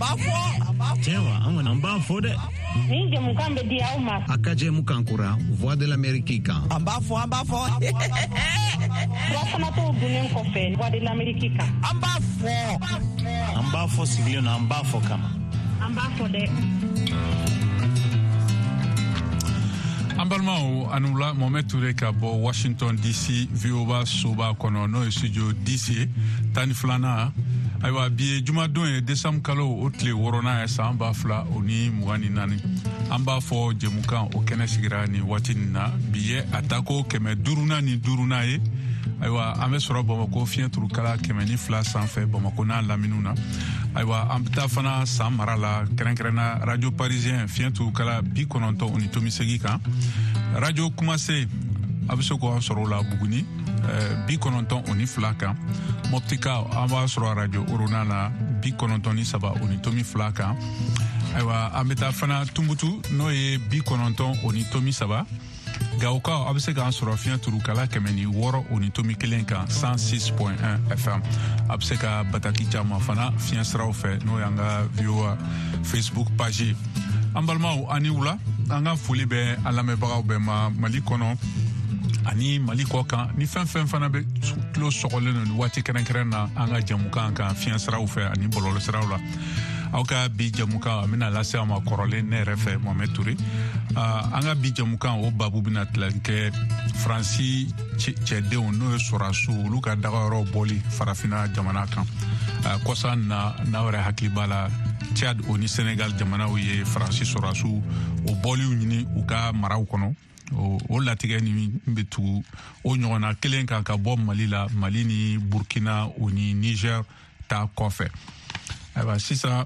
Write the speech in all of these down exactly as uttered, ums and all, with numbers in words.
b'a fɔ. Tiɲɛ wa, an kɔni an b'a fɔ dɛ. Nin jɛmukan bɛ di aw ma. A ka jɛmukan kura Voix de l'Amérique kan. An b'a fɔ, an b'a fɔ. Furafanatɔw dunnen kɔfɛ Voix de l'Amérique kan. An b'a fɔ. An b'a fɔ sigilen na, an b'a fɔ kama. An b'a fɔ dɛ. An balimaw, a ni wula. Mohamed Touré ka bɔ Washington D C, V O A soba kɔnɔ, n'o ye studio D C ye, tan ni filanan. Ayiwa, bi ye jumadon ye, décembre kalo o tile wɔɔrɔnan ye, san ba fila o ni mugan ni naani. An b'a fɔ jɛmukan o kɛnɛ sigira nin waati nin na. Bi ye a tako kɛmɛ duurunan ni duurunan ye. Ayiwa, an bɛ sɔrɔ Bamako fiɲɛ turukala kɛmɛ ni fila sanfɛ, Bamako n'a laminiw na. Ayiwa, an bɛ taa fana San mara la, kɛrɛnkɛrɛnna Radio Parisien, fiɲɛ turukala bi kɔnɔntɔn o ni tomi segi kan. Radio Kumase, a bɛ se k'an sɔrɔ o la Buguni, bi kɔnɔntɔn o ni fila kan. Mɔptika, an b'a sɔrɔ Radio Orona la, bi kɔnɔntɔn ni saba o ni tomi fila kan. Ayiwa, an bɛ taa fana Tumutu, n'o ye bi kɔnɔntɔn o ni tomi saba. Gawokaw, a bɛ se k'an sɔrɔ fiɲɛ turukala kɛmɛ ni wɔɔrɔ o ni tomi kelen kan, cent six point un F M. A bɛ se ka bataki caman fana fiɲɛ siraw fɛ, n'o y'an ka V O A Facebook page ye. An balimaw, ani wula. An ka foli bɛ an lamɛnbagaw bɛɛ ma, Mali kɔnɔ ani Mali kɔ kan, ni fɛn fɛn fana bɛ tulo sɔgɔlen don nin waati kɛrɛnkɛrɛn na an ka jɛmukan kan fiɲɛ siraw fɛ ani bɔlɔlɔ siraw la. Aw ka bi jɛmukan, a bɛna lase aw ma kɔrɔlen ne yɛrɛ fɛ, Mohamed Touré. An ka bi jɛmukan o babu bɛna tila kɛ Faransi cɛdenw, n'o ye sɔrɔdasiw, olu ka dagayɔrɔ bɔli Farafinna jamana kan. Kɔsa na, n'aw yɛrɛ hakili b'a la, Tchad o ni Senegal jamanaw ye Faransi sɔrɔdasiw o bɔliw ɲini u ka maraw kɔnɔ. O latigɛ ni bɛ tugu o ɲɔgɔnna kelen kan ka bɔ Mali la, Mali ni Burkina o ni Niger ta kɔfɛ. Ayiwa, sisan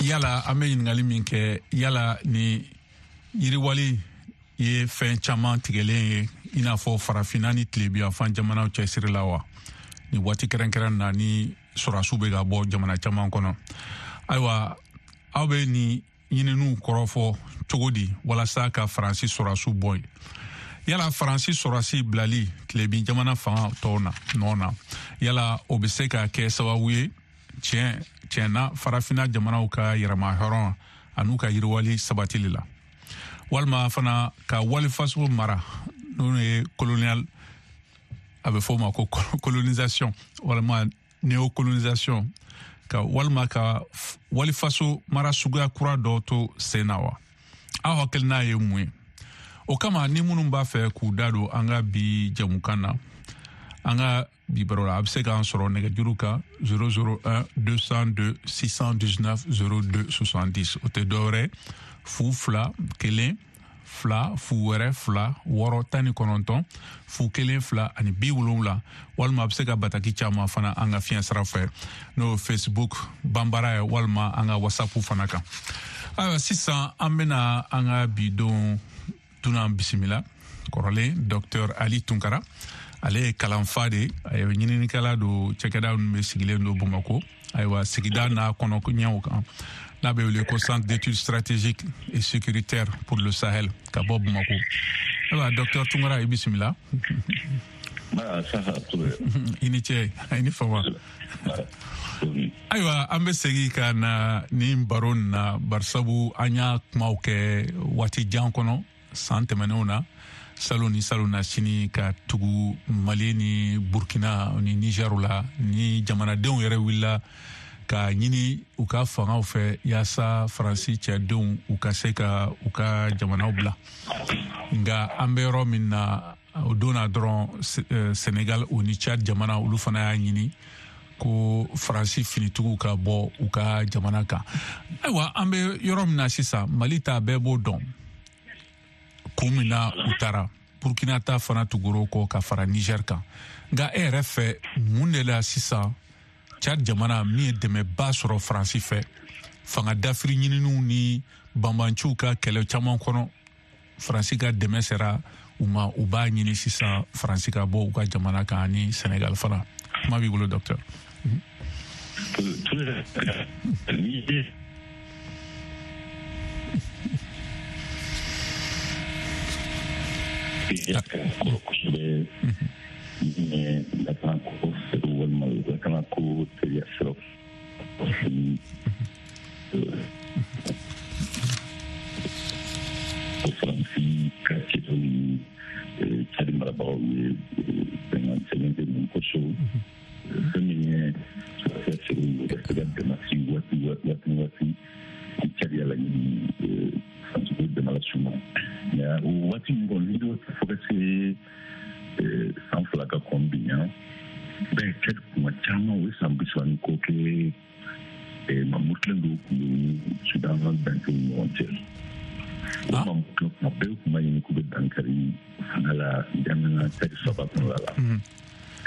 yala an bɛ ɲininkali min kɛ, yala ni yiriwali ye fɛn caman tigɛlen ye, i n'a fɔ Farafinna ni tilebiyanfan jamanaw cɛsiri la wa, nin waati kɛrɛnkɛrɛn na ni sɔrɔdasiw bɛ ka bɔ jamana caman kɔnɔ? Ayiwa, aw bɛ nin ɲininiw kɔrɔfɔ cogo di walasa ka Faransi sɔrɔdasiw bɔ yen? Yala Faransi sɔrɔdasi bilali tilebin jamana fanga tɔw na nɔ na, yala o bɛ se ka kɛ sababu ye tiɲɛ tiɲɛna Farafinna jamanaw ka yɛrɛma hɔrɔn an'u ka yiriwali sabatili la, walima fana ka walifaso mara, n'o ye colonial, a bɛ fɔ o ma ko colonisation walima néocolonisation, ka walima ka walifaso mara suguya kura dɔ to sen na wa? Aw hakilina ye mun ye o kama? Ni minnu b'a fɛ k'u da don an ka bi jɛmukan na, an ka bi baro la, a bɛ se k'an sɔrɔ nɛgɛjuru kan zéro zéro un deux cent deux six cent dix-neuf zéro deux soixante-dix. O tɛ dɔwɛrɛ, fu fila kelen fila fu wɛrɛ fila wɔɔrɔ tan ni kɔnɔntɔn fu kelen fila ani bi wolonwula. Walima a bɛ se ka bataki caman fana an ka fiɲɛ sira fɛ, n'o ye Facebook banbara ye, walima an ka WhatsApp fana kan. Ayiwa, sisan an bɛna an ka bi don dunan bisimila, kɔrɔlen Docteur Ali Tunkara. Ale ye kalanfa de ye, a ye ɲininikɛla don cɛkɛda min bɛ sigilen don Bamakɔ, ayiwa, sigida n'a kɔnɔ ɲɛw kan, n'a bɛ wele ko Centre d'études stratégiques et sécuritaires pour le Sahel, ka bɔ Bamakɔ. Ayiwa, Docteur Tunkara, i bisimila. I ni ce, i ni fama. Ayiwa, an bɛ segin ka na nin baro nin na, barisabu an y'a kumaw kɛ waati jan kɔnɔ san tɛmɛnenw na, salon ni salon na sini, ka tugu Mali ni Burkina ni Niger la, ni jamanadenw yɛrɛ wulila ka ɲini u ka fangaw fɛ yaasa Faransi cɛdenw u ka se ka u ka jamanaw bila. Nka an bɛ yɔrɔ min na, o don na dɔrɔn, Senegal o ni Chad jamana, olu fana y'a ɲini ko Faransi finitigiw ka bɔ u ka jamana kan. Ayiwa, an bɛ yɔrɔ min na sisan, Mali ta bɛɛ b'o dɔn kun min na u taara. Burkina ta fana tugur'o kɔ ka fara Niger kan. Nka e yɛrɛ fɛ, mun de la sisan Chad jamana min ye dɛmɛba sɔrɔ Faransi fɛ fanga dafiri ɲininiw ni banbanciw ka kɛlɛ caman kɔnɔ, Faransi ka dɛmɛ sera u ma, u b'a ɲini sisan Faransi ka bɔ u ka jamana kan, ani Senegal fana? Kuma b'i bolo, docteur. Kosɛbɛ lakanako walima lakanako teliya siraw. waati ni waati Tchad y'a laɲini Faransi b'o dɛmɛ las'u ma. Mais o waati min kɔnɔ n'i y'o fo ka se san fila ka kɔn bi ɲa bɛɛ Tchad kuma caman o ye san bi saba ni kɔ kɛ mamutilen dɔw tun bɛ Sudan dancɛw ni ɲɔgɔn cɛ. O mamutilen kuma bɛɛ tun b'a ɲini k'u bɛ dankari fanga la jamana Tchad saba kɔnɔna la.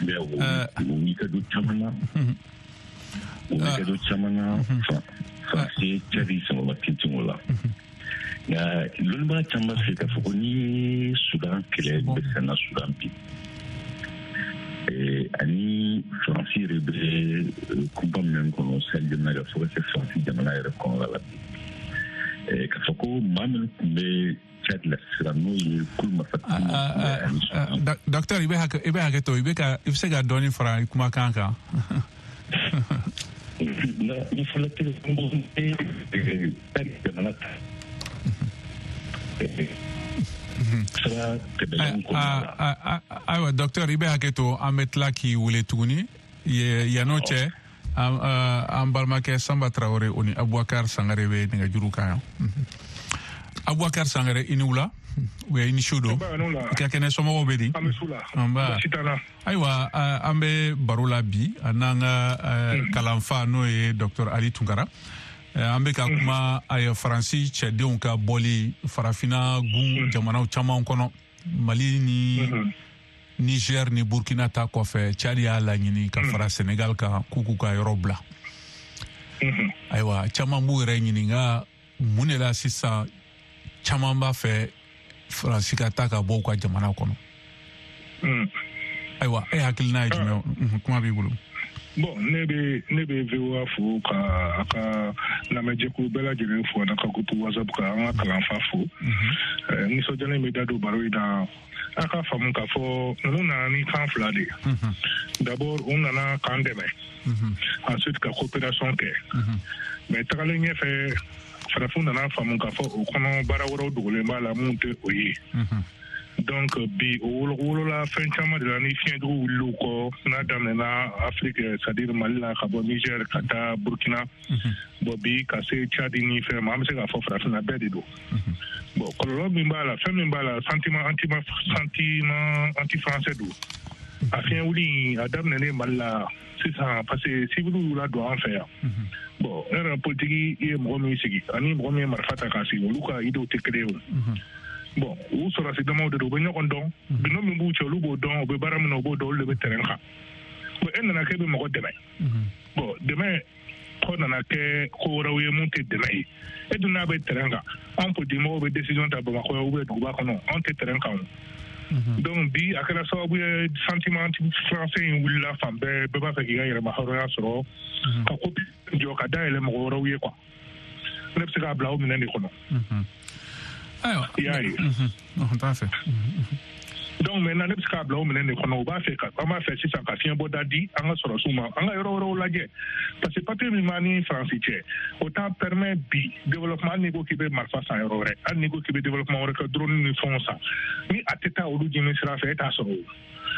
Mais o wulikajɔ caman na o wulikajɔ caman na Faransi ye Tchad sankɔrɔma tintin o la. Nka lɔnnibaga caman b'a fɛ k'a fɔ ko n'i ye Sudan kɛlɛ bɛ sen na Sudan bi ani Faransi yɛrɛ bɛ kunba min kɔnɔ Sahel jamana kan fo ka se Faransi jamana yɛrɛ kɔnɔna la bi k'a fɔ ko maa minnu tun bɛ Tchad la sisan n'o ye kulu marifatigi. Docteur, i bɛ hakɛ i bɛ hakɛ to i bɛ ka i bɛ se ka dɔɔnin fara i kumakan kan. Ni fɔlɔ tɛ Tchad jamana ta. Ayiwa docteur, i bɛ hakɛ to an bɛ tila k'i wele tuguni yann'o cɛ an balimakɛ Sanba Tarawele o ni Abubakar Sangare bɛ nɛgɛjuru kan yan. Abubakar Sangare, i ni wula ou i ni su don, i ka kɛnɛ, somɔgɔw bɛ di? Nba. Ayiwa an bɛ baro la bi n'an ka kalanfa n'o ye docteur Ali Tunkara. An bɛ ka kuma a Faransi cɛdenw ka bɔli farafinna gun jamanaw caman kɔnɔ, Mali ni Niger ni Burkina ta kɔfɛ, Tchad y'a laɲini ka fara Senegal kan k'u k'u ka yɔrɔ bila. Ayiwa caman b'u yɛrɛ ɲininka mun de la sisan caman b'a fɛ Faransi ka taa ka bɔ u ka jamana kɔnɔ. Ayiwa e hakilina ye jumɛn ye? Kuma b'i bolo. Bon, ne bɛ ne bɛ V O A fo ka a ka lamɛnjɛkulu bɛɛ lajɛlen fo a ka groupe WhatsApp ka an ka kalanfa fo. Nisɔndiyalen bɛ da don baro in na. A ka faamu k'a fɔ ninnu nana ni kan fila de ye. D'abord u nana k'an dɛmɛ. Ensuite ka coopération kɛ. Mais tagalen ɲɛfɛ farafinw nana faamu k'a fɔ o kɔnɔ baara wɛrɛw dogolen b'a la mun tɛ o ye. Donc bi o wolola fɛn caman de la ni fiɲɛdugu wulil'u kɔ n'a daminɛna Afrique, c'est-à-dire Mali la ka bɔ Niger ka taa Burkina, bon bi ka se Tchad ni fɛn ma, an bɛ se k'a fɔ farafinna bɛɛ de don. Bon kɔlɔlɔ min b'a la, fɛn min b'a la, sentiment anti sentiment anti français don. A fiɲɛ wuli a daminɛnen Mali la sisan parce que civil y'u ladon an fɛ yan. Bon e yɛrɛ politiki ye mɔgɔ min sigi ani mɔgɔ min ye marifa ta k'a sigi, olu ka idéaux tɛ kelen ye o. Bon u sɔrɔsi damaw de don, u bɛ ɲɔgɔn dɔn, bindo min b'u cɛ olu b'o dɔn, u bɛ baara min na u b'o dɔn, olu de bɛ terrain kan. Bon e nana k'e bɛ mɔgɔ dɛmɛ, bon dɛmɛ kɔ nana kɛ ko wɛrɛw ye mun tɛ dɛmɛ ye. E dun n'a bɛ terrain kan, anw politikimɔgɔw bɛ décision ta Bamakɔ ou bien duguba kɔnɔ, anw tɛ terrain kan o. Donc bi a kɛra sababu ye sentiment français in wulila fan bɛɛ, bɛɛ b'a fɛ k'i ka yɛrɛma hɔrɔnya sɔrɔ ka ko jɔ ka dayɛlɛ mɔgɔ wɛrɛw ye quoi. Ne bɛ se k'a bila o minɛn de kɔnɔ. Ayiwa, i y'a ye. N t'a fɛ. Donc maintenant ne bɛ se k'a bila o minɛn de kɔnɔ, u b'a fɛ ka an b'a fɛ sisan ka fiɲɛ bɔda di an ka sɔrɔsiw ma, an ka yɔrɔ wɛrɛw lajɛ parce que papier min b'an ni Faransi cɛ o t'an permet bi développement. Hali n'i ko k'i bɛ marifa san yɔrɔ wɛrɛ, hali n'i ko k'i bɛ développement wɛrɛ kɛ, drone ni fɛnw san, ni a tɛ taa olu ɲini sira fɛ e t'a sɔrɔ o.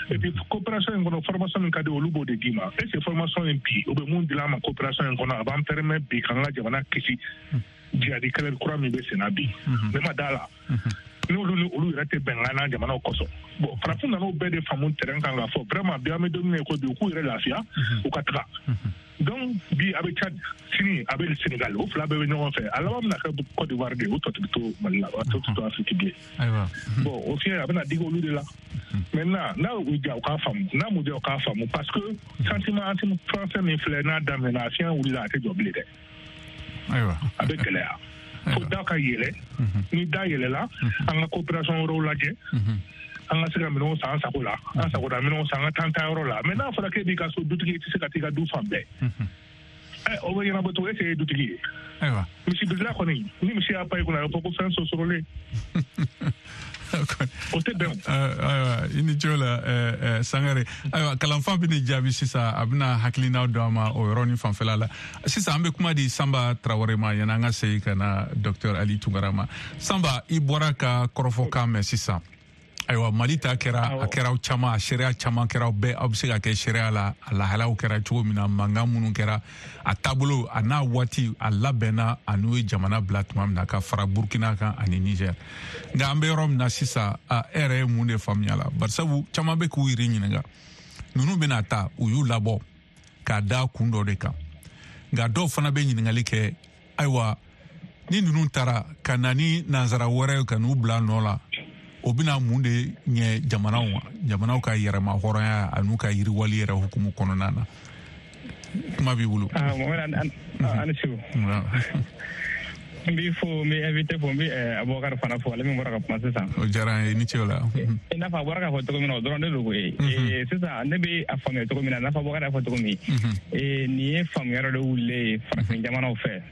Et puis coopération in kɔnɔ, formation min ka di olu b'o de d'i ma. Est ce que formation in bi o bɛ mun dilan an ma coopération in kɔnɔ, a b'an permet bi k'an ka jamana kisi jihadi kɛlɛ kura min bɛ sen na bi? Ne ma da la. N'olu ni olu yɛrɛ tɛ bɛnkan na jamanaw kosɔn. Bon farafin nan'o bɛɛ de faamu terrain kan k'a fɔ vraiment bi an bɛ don min na i ko bi u k'u yɛrɛ lafiya u ka taga. Donc bi a bɛ Tchad, sini a bɛ Sénégal, o fila bɛɛ bɛ ɲɔgɔn fɛ. A laban bɛna kɛ Côte d'Ivoire de, o tɔ tɛ to Mali la, a tɔ tɛ to Afrique bilen. Bon o fiɲɛ a bɛna digi olu de la. Maintenant n'a y'u diya u k'a faamu, n'a m'u diya u k'a faamu parce que sentiment anti français min filɛ n'a daminɛna a fiɲɛ wulila a tɛ jɔ bilen dɛ. Ayiwa. A bɛ gɛlɛya. Fo da ka yɛlɛ, ni da yɛlɛla an ka coopération wɛrɛw lajɛ, an ka se ka minɛnw san an sago la, an sagoda minɛnw san an ka taa an ta yɔrɔ la. Mais n'a fɔra k'e b'i ka so dutigi i tɛ se ka t'i ka du fan bɛɛ, ɛ o bɛ ɲɛnabɔ cogo, e ye dutigi ye? Ayiwa. Misi birila kɔni, ni misi y'a pan i kunna a bɛ fɔ ko fɛn sosorolen. O tɛ bɛn o. Ayiwa, i ni ce o la Sangare. Ayiwa, kalanfa bɛ nin jaabi sisan, a bɛna hakilinaw d'an ma o yɔrɔ ni fanfɛla la. Sisan an bɛ kuma di Sanba Tarawele ma yanni an ka segin ka na docteur Ali Tunkara ma. Sanba, i bɔra ka kɔrɔfɔkan mɛn sisan. Ayiwa, Mali ta kɛra, a kɛra caman, a seereya caman kɛra, bɛɛ aw bɛ se ka kɛ seereya la, a lahalaw kɛra cogo min na, mankan minnu kɛra, a taabolo a n'a waati a labɛnna, a n'u ye jamana bila tuma min na ka fara Burkina kan ani Niger. Nka an bɛ yɔrɔ min na sisan, a e yɛrɛ ye mun de faamuya la? Barisabu caman bɛ k'u yɛrɛ ɲininka, ninnu bɛna taa, u y'u labɔ k'a da kun dɔ de kan. Nka dɔw fana bɛ ɲininkali kɛ, ayiwa, ni ninnu taara ka na ni nansara wɛrɛ ka n'u bila nɔ la, o bɛna mun de ɲɛ jamanaw ma, jamanaw ka yɛrɛma hɔrɔnya an'u ka yiriwali yɛrɛ hukumu kɔnɔna na? Kuma b'i bolo. Ah, Mohamed, ani su. N b'i fo, n bɛ invité fo, n bɛ Abubakar fana fo, ale min bɔra ka kuma sisan. O diyara n ye, i ni ce o la. I n'a fɔ a bɔra k'a fɔ cogo min na, o dɔrɔn de don koyi. Sisan ne bɛ a faamuya cogo min na, i n'a fɔ Abubakar y'a fɔ cogo min, nin ye faamuya dɔ de wulilen ye farafin jamanaw fɛ.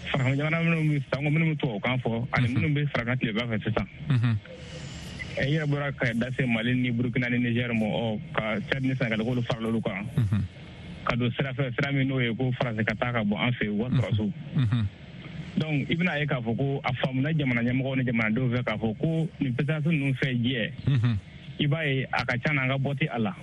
Farafin jamana minnu bɛ sango minnu bɛ tubabukan fɔ ani minnu bɛ farafin tileba fɛ sisan. I yɛrɛ bɔra ka da se Mali ni Burukina ni Niger ma, ɔ ka Tchad ni Senegal k'olu farala olu kan. Ka don sira fɛ, sira min n'o ye ko Faransi ka taa ka bɔ an fɛ yen, u ka sɔrɔsiw. Donc i bɛna ye k'a fɔ ko a faamuna jamana ɲɛmɔgɔw ni jamanadenw fɛ k'a fɔ ko nin puissance ninnu fɛ jɛ, i b'a ye a ka ca na an ka bɔ tɛ a la.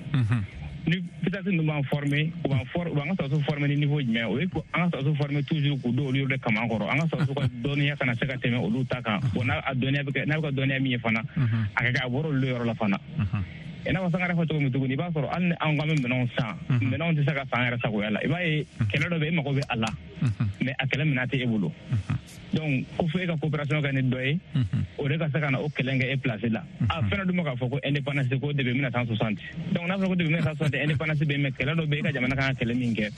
Ni puissance ninnu b'an former, u b'an for u b'an ka sɔrɔsiw former ni niveau jumɛn? O ye an ka sɔrɔsiw former toujours k'u don olu yɛrɛ kaman kɔrɔ, an ka sɔrɔsiw ka dɔnniya kana se ka tɛmɛ olu ta kan. Bon, n'a a dɔnniya bɛ kɛ, n'a bɛ ka dɔnniya min ye fana, a ka kɛ a bɔra olu yɔrɔ la fana. I n'a fɔ Sangare fɔ cogo min tuguni, i b'a sɔrɔ hali ni anw k'an bɛ minɛnw san, minɛnw tɛ se ka san yɛrɛ sagoya la. I b'a ye kɛlɛ dɔ bɛ yen, e mago bɛ a la, mais a kɛlɛ minɛn tɛ e bolo. Donc ko fo e ka coopération kɛ ni dɔ ye, o de ka se ka na o kɛlɛ kɛ e place la. A fɛn dɔ dun bɛ k'a fɔ ko indépendance ko depuis mille neuf cent soixante. Donc n'a fɔra ko depuis mille neuf cent soixante indépendance bɛ yen, mais kɛlɛ dɔ bɛ yen, e ka jamana kan ka kɛlɛ min kɛ,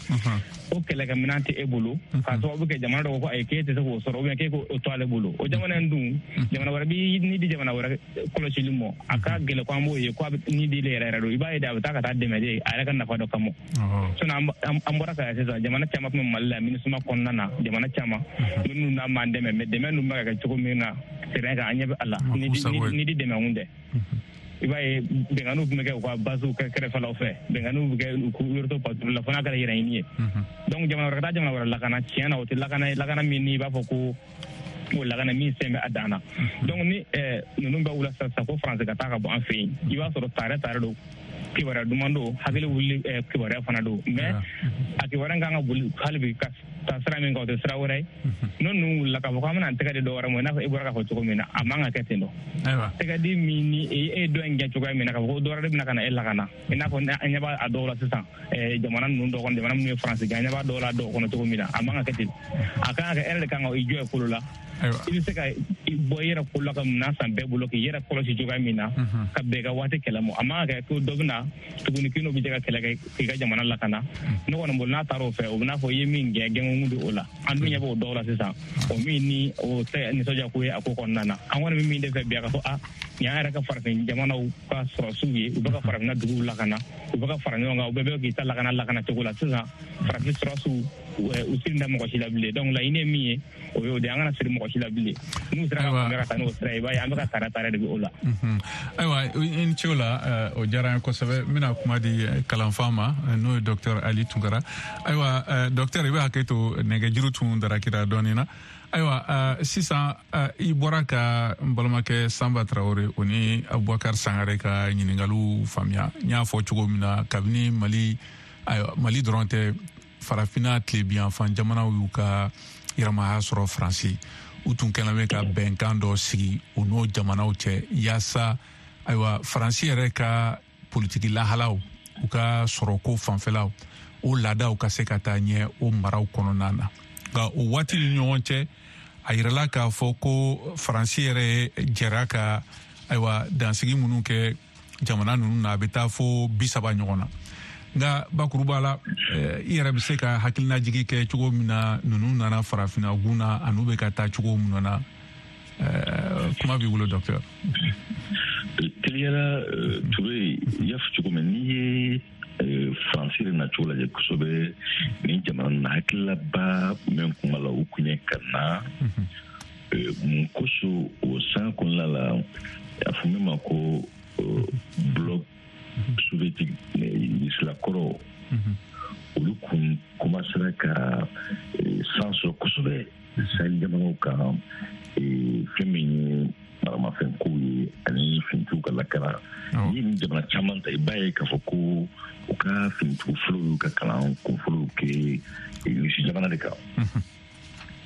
o kɛlɛkɛminɛn tɛ e bolo, k'a sababu kɛ jamana dɔ ko ko ayi, k'e tɛ se k'o sɔrɔ, ou bien k'e k'o to ale bolo. O jamana in dun, jamana wɛrɛ b'i ni di jamana wɛrɛ kɔlɔsili ma, a ka gɛlɛn ko an b'o ye ko a bɛ ni di yɛrɛ yɛrɛ don. I b'a ye de, a bɛ taa ka taa dɛmɛ de a yɛrɛ ka nafa dɔ kama. Sinon an bɔra ka sisan jamana caman tun bɛ Mali la MINUSMA kɔnɔna na, jamana caman minnu n'a m'an dɛmɛ, mais dɛmɛ ninnu bɛ ka kɛ cogo min na terrain kan, an ɲɛ bɛ a la, ni di dɛmɛ kun tɛ. I b'a ye bɛnkanniw tun bɛ kɛ u ka basew kɛrɛfɛlaw fɛ, bɛnkanniw bɛ kɛ u k'u to patrouille la fo n'a kɛra yɛrɛ ɲini ye. Donc jamana wɛrɛ ka taa jamana wɛrɛ lakana, tiɲɛ na o tɛ lakana ye, lakana min n'i b'a fɔ ko o lakana min sen bɛ a dan na. Donc ni ninnu bɛ wula sisan ko Faransi ka taa ka bɔ an fɛ yen, i b'a sɔrɔ tare tare don, kibaruya duman don, hakili wuli kibaruya fana don, mais a kibaruya kan ka boli hali bi ka taa sira min kan, o tɛ sira wɛrɛ ye. N'o ninnu wulila k'a fɔ k'an bɛna tɛgɛ di dɔ wɛrɛ ma, i n'a fɔ e bɔra k'a fɔ cogo min na, a man ka kɛ ten dɔ. Tɛgɛ di min ni e ye dɔ in gɛn cogoya min na, k'a fɔ ko dɔ wɛrɛ de bɛna ka na e lakana, i n'a fɔ an ɲɛ b'a dɔw la sisan, jamana ninnu dɔw kɔnɔ, jamana minnu ye Faransi gɛn, an ɲɛ b'a dɔw la dɔw kɔnɔ cogo min na, a man ka kɛ ten. A kan ka kɛ e yɛrɛ de kan ka i jɔ i kolo la. I bɛ se ka bɔ i yɛrɛ kolo la ka minɛn san bɛɛ bolo k'i yɛrɛ kɔlɔsi cogoya min na, ka bɛn i ka waati kɛlɛ ma. A man ka kɛ ko dɔ bɛna tuguni k'i n'o bɛ jɛ ka kɛlɛ kɛ k'i ka jamana lakana. Ne kɔni bolo n'a taara o fɛ, o bɛ n'a fɔ i ye min gɛn gɛnkun don o la. An dun ɲɛ b'o dɔw la sisan, o min ni o tɛ nisɔndiya ko ye a ko kɔnɔna na. An kɔni bɛ min de fɛ bi, a ka fɔ a nin y'an yɛrɛ ka farafin jamanaw ka sɔrɔsiw ye, u bɛ ka farafinna duguw lakana, u bɛ ka fara ɲɔgɔn kan, u bɛɛ bɛ k'i ta lakana lakana cogo la sisan. Farafin sɔrɔsiw u siri da mɔgɔ si la bilen. Donc laɲini ye min ye, o y'o de ye, an kana siri mɔgɔ si la bilen. N'u sera ka kunbɛ ka taa n'o sira ye, i b'a ye an bɛ ka tare tare de bɛ o la. Ayiwa, i ni ce o la, o diyara n ye kosɛbɛ. N bɛna kuma di kalanfa ma, n'o ye docteur Ali Tunkara. Ayiwa docteur, i bɛ hakɛ to, nɛgɛjuru tun darakira dɔɔnin na. Ayiwa sisan i bɔra ka n balimakɛ Sanba Tarawele o ni Abubakar Sangare ka ɲininkaliw faamuya. N y'a fɔ cogo min na, kabini Mali, ayiwa Mali dɔrɔn tɛ, farafinna tilebiyanfan jamanaw y'u ka yɛrɛmahaya sɔrɔ Faransi, u tun kɛlen bɛ ka bɛnkan dɔ sigi u n'o jamanaw cɛ, yaasa ayiwa Faransi yɛrɛ ka politiki lahalaw, u ka sɔrɔko fanfɛlaw, o laadaw ka se ka taa ɲɛ o maraw kɔnɔna na. Nka o waati ni ɲɔgɔn cɛ, a yirala k'a fɔ ko Faransi yɛrɛ jɛra ka ayiwa dansigi minnu kɛ jamana ninnu na, a bɛ taa fo bi saba ɲɔgɔn na. Nka bakuruba la, i yɛrɛ bɛ se ka hakilinajigi kɛ cogo min na ninnu nana farafinna gun na, an'u bɛ ka taa cogo min na. Kuma b'i bolo docteur. Teliyala Ture, i y'a fɔ cogo min, n'i ye Faransi yɛrɛ nacogo lajɛ kosɛbɛ ni jamana na, hakililaba min kun b'a la, o kun ye ka na mun kosɔn o san kɔnɔna la, a fɔ min ma ko bloc soviétique Rusilakɔrɔ, olu kun commencera ka san sɔrɔ kosɛbɛ Sahel jamanaw kan, fɛn min ye maramafɛnkow ye ani finitigiw ka lakana. Ni nin jamana caman ta, i b'a ye k'a fɔ ko u ka finitigiw fɔlɔw y'u ka kalan kunfɔlɔw kɛ Irisi jamana de kan.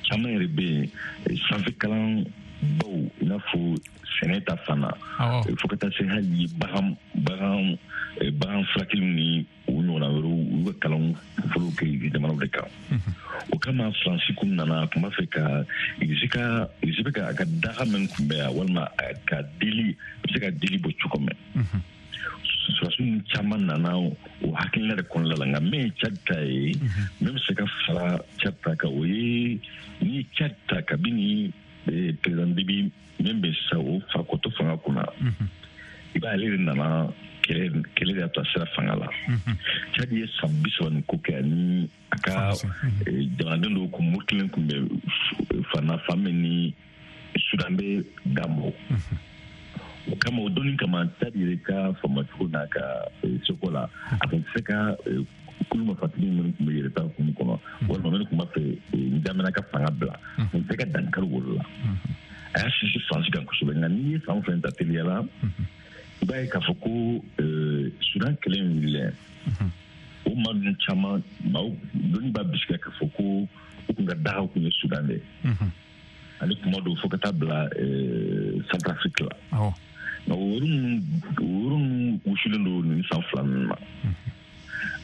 Caman yɛrɛ bɛ yen sanfɛ kalan baw, i n'a fɔ sɛnɛ ta fan na, fo ka taa se hali bagan bagan bagan furakɛliw ni o ɲɔgɔnna wɛrɛw, u y'u ka kalan kunfɔlɔw kɛ Irisi jamanaw de kan. O kama Faransi kun nana, a tun b'a fɛ ka Irisi ka Irisi bɛ ka a ka daga min tun bɛ yan, walima ka deli a bɛ se ka deli bɔ cogo min. Sɔrɔdasi ninnu caman nana o hakilina de kɔnɔna la. Nka min ye Tchad ta ye, min bɛ se ka fara Tchad ta kan, o ye n'i ye Tchad ta kabini président Déby min bɛ sisan, o fa kɔtɔ fanga kunna, i b'a ye ale de nana kɛlɛ kɛlɛ de y'a to a sera fanga la. Tchad ye san bi saba ni ko kɛ, ani a ka jamanaden dɔw kun murutilen tun bɛ fan na, fan min ni Sudan bɛ dan bɔ. O kama, o donni kama, Tchad yɛrɛ ka faamacogo n'a ka seko la, a tun tɛ se ka kulu marifatigi minnu tun bɛ yɛrɛ ta hukumu kɔnɔ, walima minnu tun b'a fɛ N'Djamena ka fanga bila, a tun tɛ se ka dankari olu la. A y'a sinsin Faransi kan kosɛbɛ. Nka n'i ye fan fɛn ta teliya la, i b'a ye k'a fɔ ko Sudan kɛlɛ in wulilen, o maa ninnu caman, maaw dɔnni b'a bisigiya k'a fɔ ko u kun ka dagaw tun ye Sudan de ye, ani kuma dɔw fo ka taa bila Centrafrique la. Nka o yɔrɔ ninnu o yɔrɔ ninnu wusulen don nin san fila ninnu na.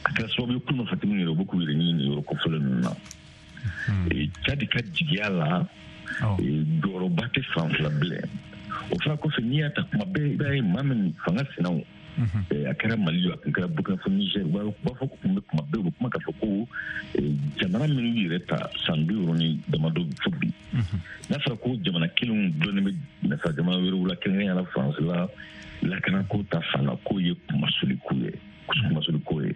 A kɛra sababu ye kulu marifatigi yɛrɛ, u bɛ k'u yɛrɛ ɲini nin yɔrɔ kofɔlen ninnu na. Tchad ka jigiya la, jɔyɔrɔba tɛ fan fila bilen. O fana kɔfɛ, n'i y'a ta kuma bɛɛ, i b'a ye maa min fanga sinaw, a kɛra Mali, a tun kɛra Burkina fo Niger, u b'a fɔ ko kun bɛ kuma bɛɛ, u bɛ kuma k'a fɔ ko jamana minnu yɛrɛ ta san bi wɔɔrɔ ni damadɔ fo bi, n'a fɔra ko jamana kelenw dulɔnnen bɛ nafa jamana wɛrɛw la, kɛrɛnkɛrɛnnenya la Faransi la, lakanako ta fan na, k'o ye kumasoliko ye kumasoliko ye.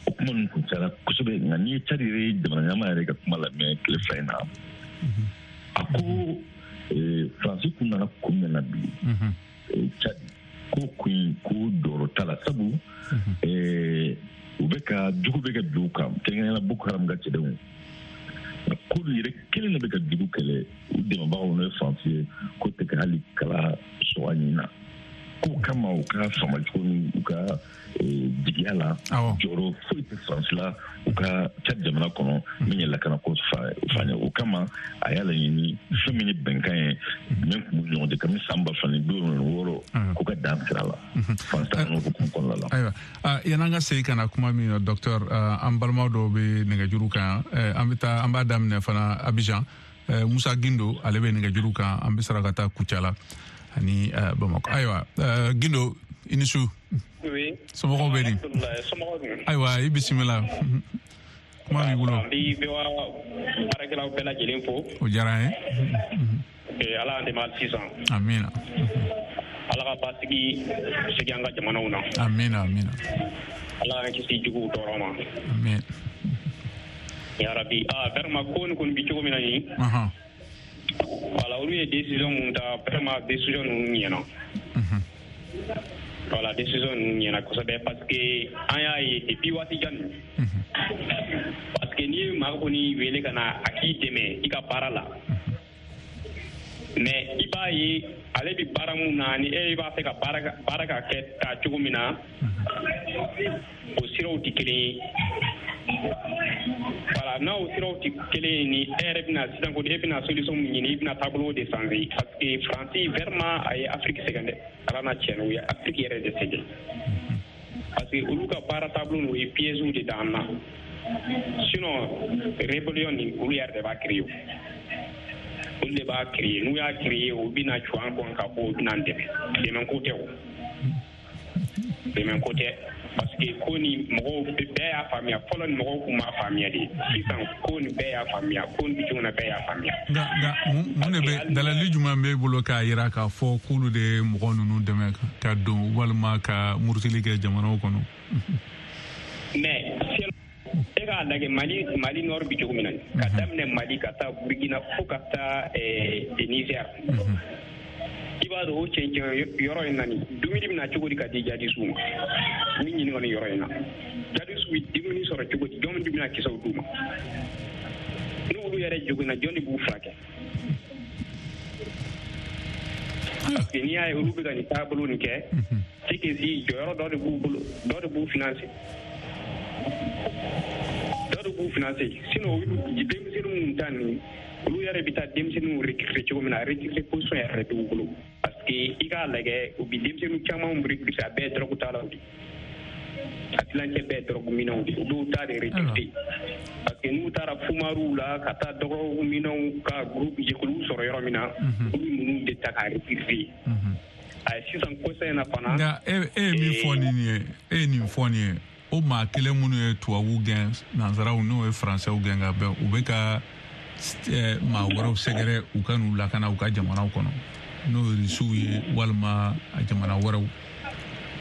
O kuma ninnu kun cayara kosɛbɛ. Nka n'i ye Tchad yɛrɛ ye jamana ɲɛmaa yɛrɛ ka kuma lamɛn tile fila in na, a ko Faransi kun nana kun min na bi Tchad, ko kun ko jɔyɔrɔ t'a la, sabu u bɛ ka jugu bɛ ka bin u kan, kɛrɛnkɛrɛnnenya la Boko Haram ka cɛdenw, k'olu yɛrɛ kelen de bɛ ka jugu kɛlɛ, u dɛmɛbagaw n'o ye Faransi ye, k'o tɛ ka hali kala sɔgɔ ɲin na. K'o kama, u ka faamacogo ni u ka jigiya la, jɔyɔrɔ foyi tɛ Faransi la u ka Tchad jamana kɔnɔ min ye lakanako fan ye. O kama, a y'a laɲini fɛn min ye bɛnkan ye min tun b'u ɲɔgɔn cɛ kabini san ba fila ni bi wolonwula ni wɔɔrɔ, k'u ka dan sira la Faransi ta ninnu hukumu kɔnɔna la. Ayiwa, yan'an ka segin ka na kuma min na, docteur, an balimaw dɔw bɛ nɛgɛjuru kan, an bɛ taa, an b'a daminɛ fana Abidjan. Musa Gindo, ale bɛ nɛgɛjuru kan, an bɛ sɔrɔ ka taa Kucala ani Bamakɔ. Ayiwa, Gindo, i ni su. Oui. Somɔgɔw bɛ di? Ayiwa, i bisimila. Kuma b'i bolo. An bɛ V O A baarakɛlaw bɛɛ lajɛlen fo. O diyara an ye. Ala y'an dɛmɛ hali sisan. Amiina. Ala ka basigi segin an ka jamanaw na. Amiina, amiina. Ala k'an kisi juguw tɔɔrɔ ma. Amiina. Yarabi, ah vraiment ko nin kɔni bi cogo min na nin. Voilà, olu ye décision mun ta, vraiment décision ninnu ɲɛna. Voilà, décision ninnu ɲɛna kosɛbɛ, parce que an y'a ye depuis waati jan nin. Parce que n'i ye maa kɔni wele ka na a k'i dɛmɛ i ka baara la, mais i b'a ye ale bɛ baara mun na, ni e b'a fɛ ka baara baara ka kɛ ta cogo min na, o siraw tɛ kelen ye. Voilà, n'a o siraw tɛ kelen ye, ni e yɛrɛ bɛna sisan ko e bɛna solution min ɲini, i bɛna taabolo de changer, parce que Faransi vraiment a ye Afrique sɛgɛn dɛ, Ala n'a tiɲɛ na, u ye Afrique yɛrɛ de sɛgɛn, parce que olu ka baara taabolo ninnu, o ye pièges de d'an na. Sinon rébellion nin, olu yɛrɛ de b'a créer, olu de b'a créer. N'u y'a créer, u bɛna cu an kɔn ka bɔ, u bɛna an dɛmɛ. Dɛmɛ ko tɛ o, dɛmɛ ko tɛ, parce que ko ni mɔgɔw bɛɛ y'a faamuya fɔlɔ, ni mɔgɔw kun m'a faamuya de, sisan ko ni bɛɛ y'a faamuya, ko ni bi cogo na bɛɛ y'a faamuya. Nka nka mun de bɛ dalali jumɛn b'e bolo k'a jira k'a fɔ k'olu de ye mɔgɔ ninnu dɛmɛ ka don walima ka murutili kɛ jamanaw kɔnɔ? Mais e k'a lajɛ Mali Mali nord bi cogo min na, ka daminɛ Mali ka taa Burkina fo ka taa Niger, i b'a dɔn o cɛncɛn yɔrɔ in na nin dumuni bɛna cogo di ka di jadisiw ma? Ni ɲininka nin yɔrɔ in na, jadisiw bɛ dumuni sɔrɔ cogo di? Jɔn de bɛna kisɛw d'u ma? N'olu yɛrɛ joginna, jɔn de b'u furakɛ? Parce que n'i y'a ye olu bɛ ka nin taabolo nin kɛ, c'est que si jɔyɔrɔ dɔ de b'u bolo, dɔ de b'u financer. Dɔ de b'u financer. Sinon denmisɛnnin minnu ta nin, olu yɛrɛ bɛ taa denmisɛnninw recruter cogo min na, recruter position yɛrɛ t'u bolo. Parce que i k'a lajɛ, u bɛ denmisɛnnin caman recruter, a bɛɛ ye drogue talaw de ye. A tilancɛ bɛɛ ye drogue minɛnw de ye. U b'u ta de recruter. Parce que n'u taara fumaruw la ka taa drogue minɛnw ka groupe jɛkuluw sɔrɔ yɔrɔ min na, olu ninnu de ta k'a recruter. A ye sisan kɔsa in na fana. Nka e e ye min fɔ nin ye, e ye nin fɔ nin ye, o maa kelen minnu ye tubabuw gɛn, nansaraw n'o ye faransɛw gɛn ka bɛn, u bɛ ka maa wɛrɛw sɛgɛrɛ u ka n'u lakana u ka jamanaw kɔnɔ, n'o ye Rusiw ye walima a jamana wɛrɛw.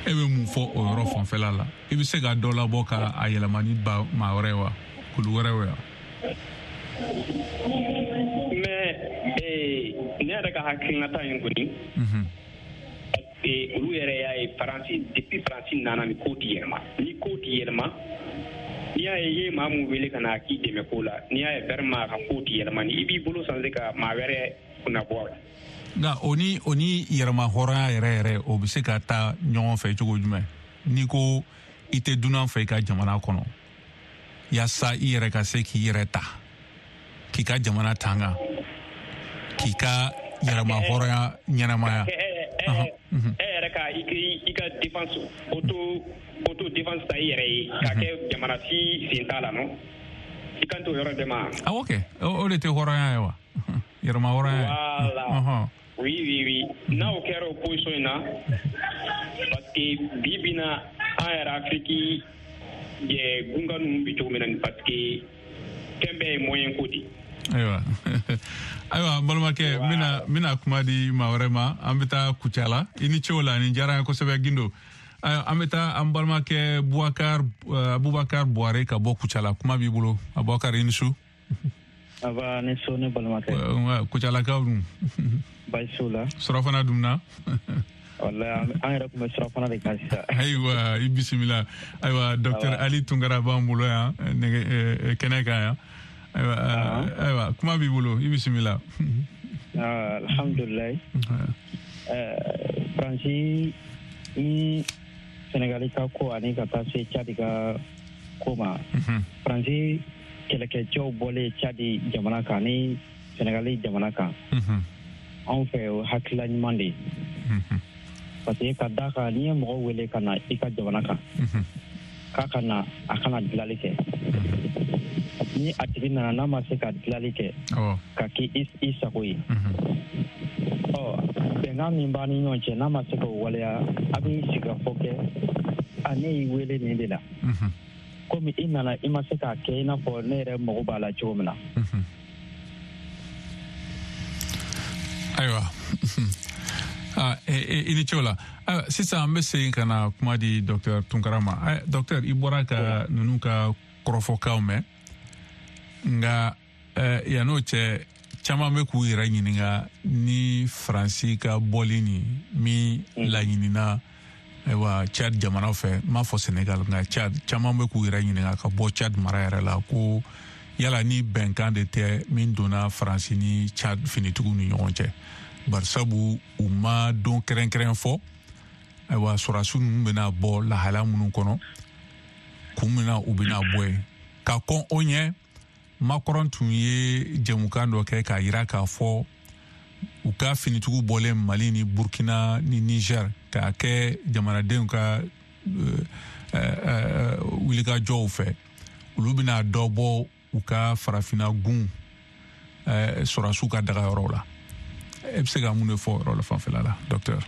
E bɛ mun fɔ o yɔrɔ fanfɛla la? I bɛ se ka dɔ labɔ ka a yɛlɛma ni ba maa wɛrɛ ye wa, kulu wɛrɛ ye wa? Mais ee ne yɛrɛ ka hakilinata in kɔni, olu yɛrɛ y'a ye Faransi, depuis Faransi nana ni ko ti yɛlɛma, ni ko ti yɛlɛma, n'i y'a ye i ye maa mun wele ka na k'i dɛmɛ ko la, n'i y'a ye vraiment a ka ko ti yɛlɛma, ni i b'i bolo sanse ka maa wɛrɛ kunna bɔ a la. Nka o ni o ni yɛrɛma hɔrɔnya yɛrɛ yɛrɛ, o bɛ se ka taa ɲɔgɔn fɛ cogo jumɛn? N'i ko i tɛ dunan fɛ i ka jamana kɔnɔ, yaasa i yɛrɛ ka se k'i yɛrɛ ta, k'i ka jamana tanga, k'i ka yɛrɛma hɔrɔnya ɲɛnamaya. E yɛrɛ ka i ka défense auto auto défense ta i yɛrɛ ye, k'a kɛ jamana si sen t'a la, non? I kan t'o yɔrɔ de ma. Awɔ kɛ, o de tɛ hɔrɔnya ye wa? Yɛrɛma hɔrɔnya ye. Voilà. Oui, oui, oui. N'a o kɛra o position in na, parce que bi bi na an yɛrɛ Afrique gunga ninnu bɛ cogo min na nin, parce que fɛn bɛɛ ye moyen ko de ye. Ayiwa, ayiwa n balimakɛ, n bɛna n bɛna kuma di maa wɛrɛ ma. An bɛ taa Kucala. I ni ce o la, nin diyara n ye kosɛbɛ Gindo. Ayiwa, an bɛ taa an balimakɛ Bubakar Abubakar Buware ka bɔ Kucala. Kuma b'i bolo Abubakar, i ni su. Aba ni su ne balimakɛ. Kucalakaw dun? Baasi t'u la. Surafana dunna? Walahi an yɛrɛ tun bɛ surafana de kan sisan. Ayiwa, i bisimila. Ayiwa, docteur Ali Tunkara b'an bolo yan nɛgɛ kɛnɛ kan yan. Ayiwa, ayiwa, kuma b'i bolo, i bisimila. Alhamdulilayi. Faransi ni Senegali ka ko ani ka taa se Tchad ka ko ma. Faransi kɛlɛkɛcɛw bɔlen Tchad jamana kan ni Senegali jamana kan. Anw fɛ o hakilila ɲuman de ye. Parce que ka d'a kan, n'i ye mɔgɔ wele ka na i ka jamana kan, k'a ka na, a kana dilali kɛ. Ni a tigi nana n'a ma se ka dilali kɛ, ka kɛ i sago ye, ɔ bɛnkan min b'a ni ɲɔgɔn cɛ, n'a ma se k'o waleya, a bɛ sigikafɔ kɛ. A ne y'i wele nin de la, komi i nana i ma se k'a kɛ i n'a fɔ ne yɛrɛ mago b'a la cogo min na. Ayiwa, i ni ce o la. Sisan an bɛ segin ka na kuma di docteur Tunkara ma. Docteur, i bɔra ka ninnu ka kɔrɔfɔkanw mɛn, nka yann'o cɛ, caman bɛ k'u yɛrɛ ɲininka ni Faransi ka bɔli nin min laɲinina, ayiwa, Tchad jamana fɛ, n m'a fɔ Senegal, nka Tchad, caman bɛ k'u yɛrɛ ɲininka ka bɔ Tchad mara yɛrɛ la, ko yala ni bɛnkan de tɛ min donna Faransi ni Tchad finitigiw ni ɲɔgɔn cɛ, barisabu u ma don kɛrɛnkɛrɛn fɔ. Ayiwa, sɔrɔdasi ninnu bɛna bɔ lahala minnu kɔnɔ, kun min na u bɛna bɔ yen. Ka kɔn o ɲɛ, Macron tun ye jɛmukan dɔ kɛ k'a yira k'a fɔ u ka finitigiw bɔlen Mali ni Burkina ni Niger k'a kɛ jamanadenw ka wulikajɔw fɛ, olu bɛna dɔ bɔ u ka farafinna gun sɔrɔdasiw ka dagayɔrɔw la. E bɛ se ka mun de fɔ o yɔrɔ la fanfɛla la, docteur?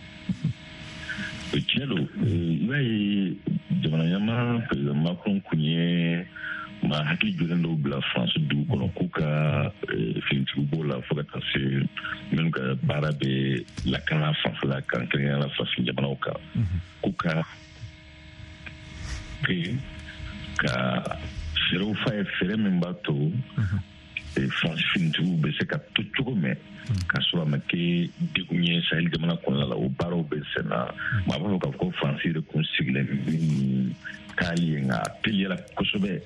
Tiɲɛ don, i b'a ye jamana ɲɛmaa président Macron kun ye maa hakili jɔlen dɔw bila France dugu kɔnɔ k'u ka finitigiw b'o la fo ka taa se minnu ka baara bɛ lakana fanfɛla kan, kɛrɛnkɛrɛnnenya la farafin jamanaw kan, k'u ka ka fɛɛrɛw f'a ye, fɛɛrɛ min b'a to France finitigiw bɛ se ka to cogo min k'a sɔrɔ a ma kɛ degun ye Sahel jamana kɔnɔna la. O baaraw bɛ sen na. Maa b'a fɔ k'a fɔ ko France yɛrɛ kun sigilen ni taali ye, nka a teliyala kosɛbɛ.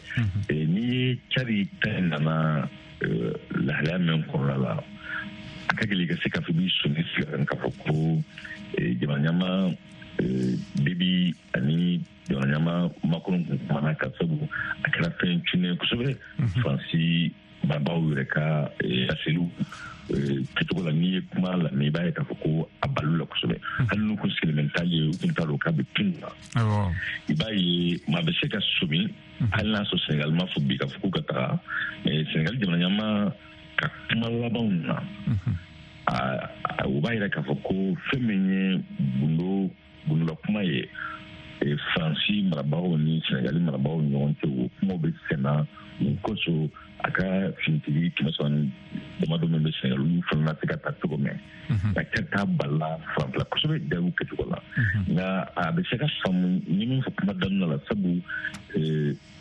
N'i ye Tchad ta nana lahalaya min kɔnɔna la, A ka gɛlɛn i ka se k'a fɔ i b'i sɔnni sigi kan k'a fɔ ko jamana ɲɛmaa Déby ani jamana ɲɛmaa Macron kun kumana ka sabu a kɛra fɛn cunnen kosɛbɛ Faransi marabagaw yɛrɛ ka laseliw kɛcogo la. N'i ye kuma lamɛn, i b'a ye k'a fɔ ko a balo la kosɛbɛ, hali n'u kun sigilen bɛ taa ye, u kun t'a dɔn k'a bɛ tun na. I b'a ye maa bɛ se ka somi, hali n'a sɔrɔ Senegal ma fɔ bi k'a fɔ k'u ka taga, mais Senegal jamana ɲɛmaa ka kuma labanw na, o b'a yira k'a fɔ ko fɛn min ye gundo gundola kuma ye Faransi marabagaw ni Senegali marabagaw ni ɲɔgɔn cɛ, o kumaw bɛ senna. O kosɔn a ka finitigi kɛmɛ saba ni damadɔ min bɛ Senegal, olu fana na se ka ta cogo min nka kɛ t'a balila fan fila kosɛbɛ jaabiw kɛcogo la. Nka a bɛ se ka faamu ni min fɔ kuma daminɛ la, sabu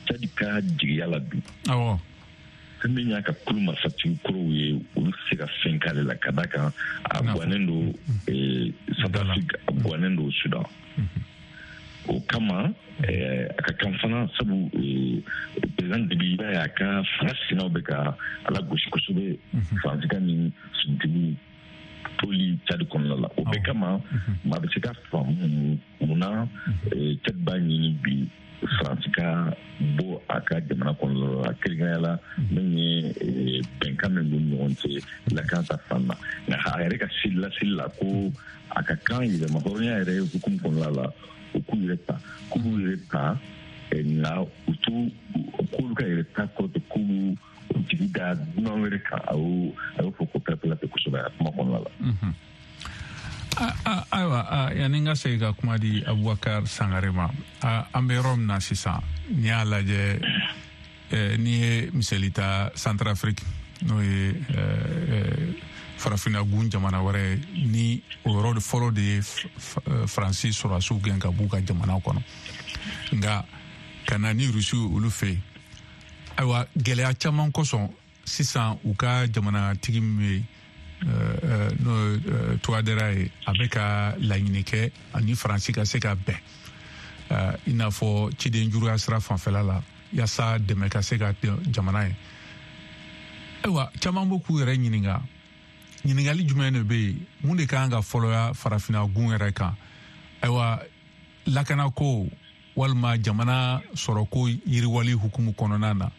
Tchad ka jigiya la bi, fɛn min y'a ka kulu marifatigi kɔrɔw ye, olu tɛ se ka fɛn k'ale la, ka d'a kan a gannen don Centrafrique, a gannen don Sudan. O kama a ka kan fana, sabu président Déby, i b'a ye a ka fanga sinaw bɛ ka ala gosi kosɛbɛ Faransi ka ni finitigiw toli Tchad kɔnɔna la. O bɛɛ kama maa bɛ se ka faamu munna Tchad b'a ɲini bi Faransi ka bɔ a ka jamana kɔnɔna la, kɛrɛnkɛrɛnnenya la min ye bɛnkan min b'u ni ɲɔgɔn cɛ lakana ta fan na. Nka a yɛrɛ ka seli laseli la ko a ka kan yɛlɛma hɔrɔnya yɛrɛ hukumu kɔnɔna la, u k'u yɛrɛ ta, k'u b'u yɛrɛ ta, nka u t'u k'olu ka yɛrɛ ta kɔrɔ tɛ k'u b'u jigi da dunan wɛrɛ kan. A y'o a y'o fɔ ko pɛrɛpɛrɛ tɛ kosɛbɛ a kuma kɔnɔna la. Ayiwa, yanni n ka segin ka kuma di Abubakar Sangare ma, an bɛ yɔrɔ min na sisan, n'i y'a lajɛ, n'i ye misali ta Centrafrique, n'o ye farafinna gun jamana wɛrɛ ye, ni o yɔrɔ fɔlɔ de ye Faransi sɔrɔdasiw gɛn ka b'u ka jamana kɔnɔ, nka ka na ni Rusiw olu fɛ yen. Ayiwa, gɛlɛya caman kosɔn sisan u ka jamanatigi min bɛ yen, n'o ye Touadéra ye, a bɛ ka laɲini kɛ ani Faransi ka se ka bɛn, i n'a fɔ ciden juruya sira fanfɛla la, yaasa dɛmɛ ka se ka jamana ye. Ayiwa, caman bɛ k'u yɛrɛ ɲininka, ɲininkali jumɛn de bɛ yen, mun de kan ka fɔlɔya farafinna gun yɛrɛ kan? Ayiwa, lakanako walima jamana sɔrɔko yiriwali hukumu kɔnɔna na,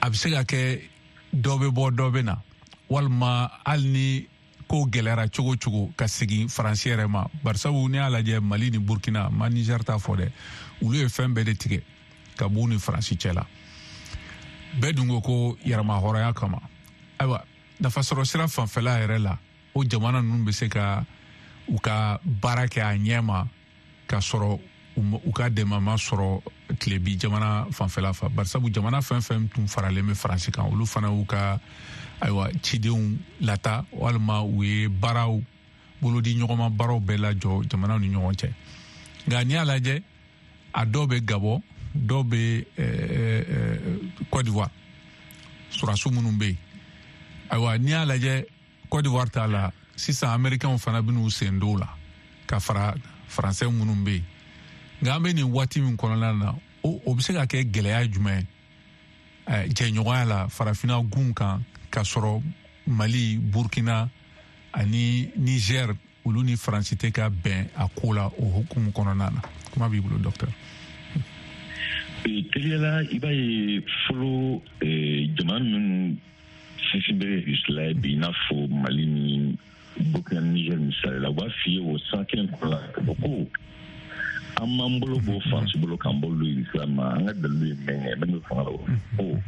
a bɛ se ka kɛ dɔ bɛ bɔ dɔ bɛ na, walima hali ni ko gɛlɛyara cogo cogo ka segin Faransi yɛrɛ ma. Barisabu n'i y'a lajɛ Mali ni Burkina, ma Niger ta fɔ dɛ, olu ye fɛn bɛɛ de tigɛ ka b'u ni Faransi cɛ la. Bɛɛ dun ko ko yɛrɛmahɔrɔnya kama. Ayiwa, nafasɔrɔ sira fanfɛla yɛrɛ la, o jamana ninnu bɛ se ka u ka baara kɛ a ɲɛ ma ka sɔrɔ u ka dɛmɛ ma sɔrɔ tilebi jamana fanfɛla fɛ. Barisabu jamana fɛn fɛn tun faralen bɛ Faransi kan, olu fana y'u ka ayiwa cidenw lata, walima u ye baaraw bolodi ɲɔgɔnma baaraw bɛɛ lajɔ jamanaw ni ɲɔgɔn cɛ. Nka n'i y'a lajɛ, a dɔw bɛ Gabon, dɔw bɛ Côte d'Ivoire, sɔrɔdasiw minnu bɛ yen. Ayiwa, n'i y'a lajɛ Côte d'Ivoire t'a la sisan, Américains fana bɛ n'u sen don o la ka fara Faransɛ minnu bɛ yen. Nka an bɛ nin waati min kɔnɔna na, o o bɛ se ka kɛ gɛlɛya jumɛn ye jɛɲɔgɔnya la farafinna gun kan, ka sɔrɔ Mali, Burkina ani Niger olu ni Faransi tɛ ka bɛn a ko la o hukumu kɔnɔna na? Kuma b'i bolo, docteur. Teliya la, i b'a ye fɔlɔ jamana minnu sinsin bɛ Rusila bi, i n'a fɔ Mali ni Burkina, Niger misali la, u b'a f'i ye o san kelen kɔnɔ la k'a fɔ ko an m'an bolo bɔ Faransi bolo k'an bolo don Rusila ma, an ka dalilu ye min ye, min bɛ fanga la o ko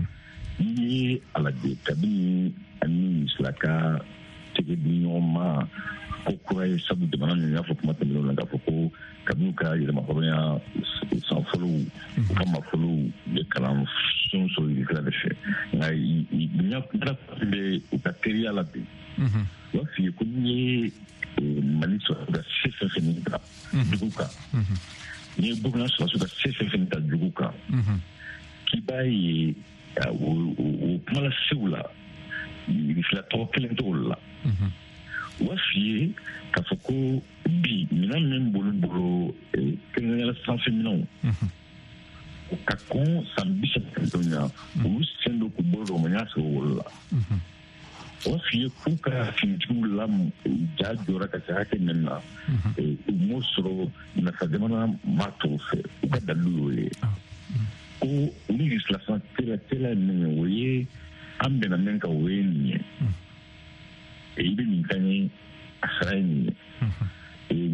n'i ye a lajɛ kabini ani Rusila ka tɛgɛ di ɲɔgɔn ma ko kura ye, sabu jamana ninnu y'a fɔ kuma tɛmɛnenw na k'a fɔ ko kabini u ka yɛrɛmahɔrɔnya san fɔlɔw, u ka mafolow bɛ kalan fɛnw sɔrɔ Rusila de fɛ. Nka ɲɛ bɛ u ka teriya la bi, u b'a f'i ye ko n'i ye Mali sɔrɔ ka se fɛn fɛn ta dugu kan, n'i ye Burkina sɔrɔsiw ka se fɛn fɛn ta dugu kan, k'i b'a ye o kuma lasew la Rusila tɔgɔ kelen t'o la. U b'a f'i ye k'a fɔ ko bi minɛn min b'olu bolo, kɛrɛnkɛrɛnnenya la sanfɛ minɛnw, o ka kɔn san bi saba kɔnɔntɔn ɲa, olu sen don k'u bolo don o ma ɲa sɔrɔ olu la. O b'a f'i ye k'u ka finitigiw la ja jɔra ka se hakɛ min na, u m'o sɔrɔ nafa jamana maa tɔw fɛ. U ka dalilu y'o ye ko olu Rusila fana teliya teliya ye min ye, o ye an bɛnna min kan, o ye nin ye. I bɛ nin kan ye, a sara ye nin ye.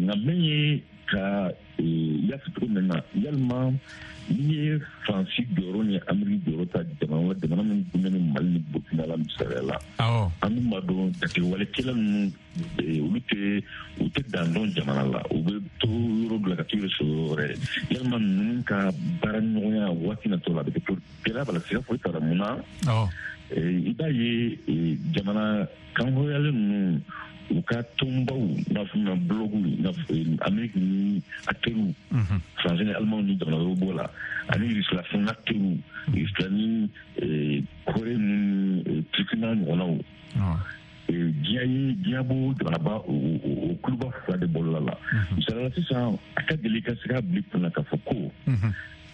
Nka min ye ka i y'a fɔ cogo min na, yalima n'i ye Faransi jɔyɔrɔ ni Ameriki jɔyɔrɔ ta jamana jamana min gunnen ni Mali ni Burukina la misaliya la, an dun b'a dɔn jatigɛwalekɛla ninnu olu tɛ u tɛ dan dɔn jamana la, u bɛ to yɔrɔ dɔ la ka t'u yɛrɛ sɔrɔ yɔrɔ wɛrɛ. Yalima ninnu ka baara ɲɔgɔnya waati natɔ la a bɛ kɛ cogo gɛlɛya b'a la, siga foyi t'a la. Mun na i b'a ye jamana kanhɔrɔnyalen ninnu u ka tɔnbaw n'a fɔ ma blɔgu n'a fɔ Ameriki ni acteurs, Faransi ni Alimanw ni jamana wɛrɛw b'o la, ani Rusila fana acteurs, Rusila ni Kore ni Turki n'a ɲɔgɔnnaw. Diɲɛ ye diɲɛ b'o jamanaba o kuluba fila de bɔlɔla la. Misaliya la sisan, a ka gɛlɛn i ka se k'a bila i kunna k'a fɔ ko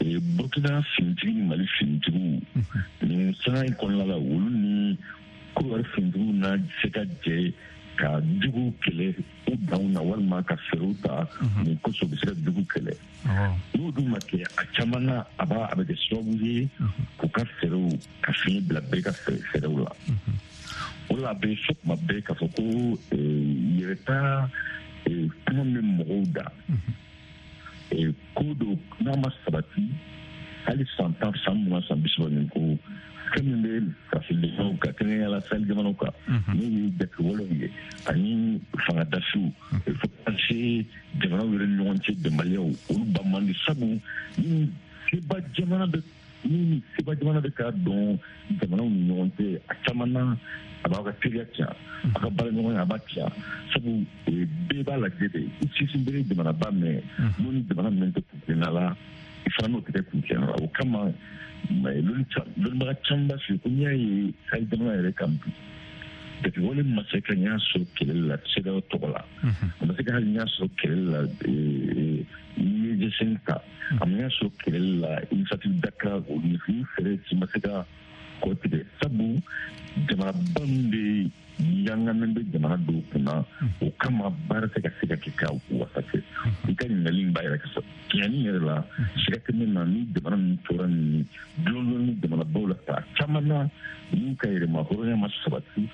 Burukina finitigi ni Mali finitigiw nin sanga in kɔnɔna la, olu ni Kɔdiwari finitigiw na se ka jɛ ka jugu kɛlɛ u danw na, walima ka fɛɛrɛw ta nin kosɔn u bɛ se ka jugu kɛlɛ. N'o dun ma kɛ, a caman na a b'a a bɛ kɛ sababu ye k'u ka fɛɛrɛw ka fiɲɛ bila bɛɛ ka fɛɛrɛw la. O la a bɛ fɔ kuma bɛɛ k'a fɔ ko yɛrɛta kuma min bɛ mɔgɔw da, ko dɔ n'a ma sabati hali san tan, san mugan, san bi saba nin ko fɛn min bɛ farafin jamanaw kan, kɛrɛnkɛrɛnnenya la Sahel jamanaw kan, n'o ye jatigɛwalew ye ani fangadasiw, fo ka se jamanaw yɛrɛ ni ɲɔgɔn cɛ bɛnbaliyaw, olu ba man di. Sabu ni seba jamana bɛ ni seba jamana bɛ k'a dɔn jamanaw ni ɲɔgɔn cɛ, a caman na a b'aw ka teriya tiɲɛ, a ka baaraɲɔgɔnya a b'a tiɲɛ. Sabu bɛɛ b'a lajɛ de, i sinsin bere jamanaba mɛn n'o ni jamana min tɛ kuntilenna la, i fana n'o tɛ kɛ kuntilenna la. O kama lɔnnibaga caman b'a f'i ye ko n'i y'a ye Sahel jamana yɛrɛ kan bi, jatigɛwale ma se ka ɲɛ sɔrɔ kɛlɛli la CEDEAO tɔgɔ la, a ma se ka hali ɲɛ sɔrɔ kɛlɛli la n'i ye G cinq ta, a ma ɲɛ sɔrɔ kɛlɛli la initiative Dakar, o ni fɛɛrɛ si ma se ka kɔ tigɛ. Sabu jamanaba min bɛ yangamen bɛ jamana dɔw kunna, o kama baara tɛ ka se ka kɛ ka wasa kɛ. I ka ɲininkali in b'a yɛrɛ ka tiɲɛni yɛrɛ la, siga tɛ min na, ni jamana ninnu tora nin dulon ni jamanabaw la, a caman na n'u ka yɛrɛma hɔrɔnya ma sabati,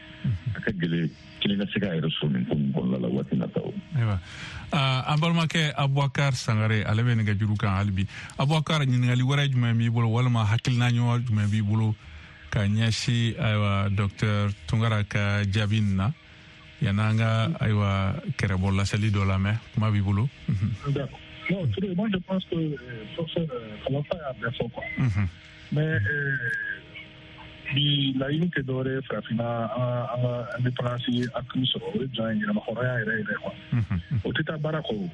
a ka gɛlɛn kelen ka se k'a yɛrɛ sɔrɔ nin ko nin kɔnɔna la waati nataw. Ayiwa, an balimakɛ Abubakar Sangare, ale bɛ nɛgɛjuru kan hali bi. Abubakar, ɲininkali wɛrɛ jumɛn b'i bolo, walima hakilina ɲuman jumɛn b'i bolo ka ɲɛsin ayiwa docteur Tunkara ka jaabi nin na, yan'an ka ayiwa kɛrɛbɔ laseli dɔ lamɛn? Kuma b'i bolo. D'accord. Non, Touré, moi je pense que euh, professeur Kalafa y'a bɛɛ fɔ quoi. Mm -hmm. Mais bi laɲini tɛ dɔwɛrɛ ye farafinna an ka indépendance acquis sɔrɔ, o ye jɔn ye yɛrɛmahɔrɔnya yɛrɛ yɛrɛ quoi. O tɛ taa baara kɔ o.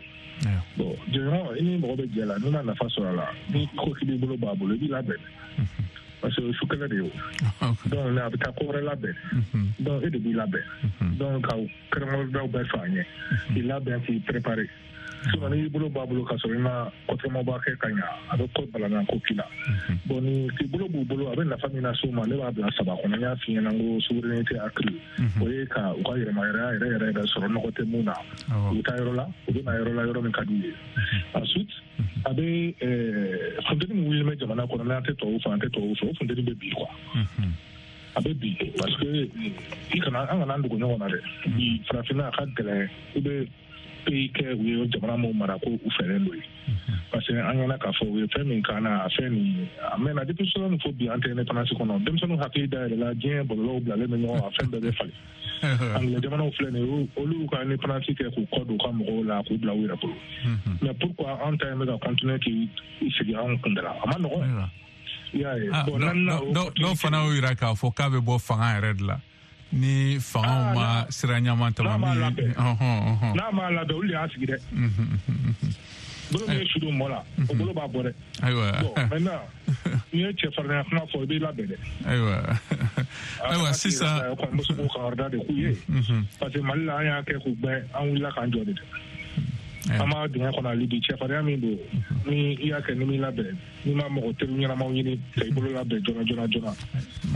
Bon, jɛɲɔgɔn i ni mɔgɔ bɛ jɛ la, n'i ma nafa sɔrɔ a la, ni ko k'i b'i bolo bɔ a bolo, i b'i labɛn. Parce que o ye su kɛlɛ de ye o. Donc a bɛ taa ko wɛrɛ labɛn. Donc e de b'i labɛn. Donc ka kɛrɛnkɛrɛndaw bɛɛ fɔ a ɲɛ. K'i labɛn, k'i préparer. Sinon n'i y'i bolo bɔ a bolo k'a sɔrɔ i ma kɔtɔmaba kɛ ka ɲa, a bɛ ko balana ko k'i la. Bon, ni k'i bolo b'u bolo, a bɛ nafa min lase u ma, ne b'a bila saba kɔnɔ. N y'a f'i ɲɛna n ko souveraineté accrue, o ye ka u ka yɛrɛmayɛrɛya yɛrɛ yɛrɛ yɛrɛ sɔrɔ, nɔgɔ tɛ mun na. U bɛ taa yɔrɔ la, u bɛ na yɔrɔ la, yɔrɔ min ka d'u ye. Ensuite, a bɛ funteni min wulilen bɛ jamana kɔnɔ, n'an tɛ tubabu fɛ, an tɛ tubabu fɛ, o funteni bɛ bi quoi. A bɛ bi parce que i kana an kana an dogo ɲɔgɔn na dɛ. Bi farafinna a ka gɛlɛn, i bɛ pays kɛ u ye jamana min mara ko u fɛlen don ye, parce que an ɲɛna k'a fɔ u ye fɛn min k'an na, a fɛn nin a mɛnna depuis sɔrɔ fo bi an tɛ indépendance kɔnɔ. Denmisɛnninw hakili dayɛlɛla, diɲɛ bɔlɔlɔw bilalen bɛ ɲɔgɔn, a fɛn bɛɛ bɛ falen. Anglais jamanaw filɛ nin ye, olu ka indépendance kɛ k'u kɔ don u ka mɔgɔw la, k'u bila u yɛrɛ bolo. Mais pourquoi an ta in bɛ ka continuer k'i sigi anw kun da la? A ma nɔgɔn. I y'a ye. Bon, dɔw fana y'o yira k'a fɔ k'a bɛ bɔ fanga yɛrɛ de la. Ni fangaw ma sira ɲaman tama min n'a m'a labɛn, olu de y'a sigi dɛ. Bolo min ye su don mɔ la, o bolo b'a bɔ dɛ. Ayiwa. Bon, maintenant n'i ye cɛfarinya kuma fɔ, i b'i labɛn dɛ. Ayiwa. Ayiwa sisan. N bɛ se k'o kankari de k'u ye. Parce que Mali la, an y'a kɛ k'u gbɛn, an wulila k'an jɔ de dɛ. An b'a dingɛ kɔnɔ hali bi, cɛfarinya min don, ni i y'a kɛ ni m'i labɛn, n'i ma mɔgɔ teri ɲɛnamaw ɲini ka i bolo labɛn joona joona joona,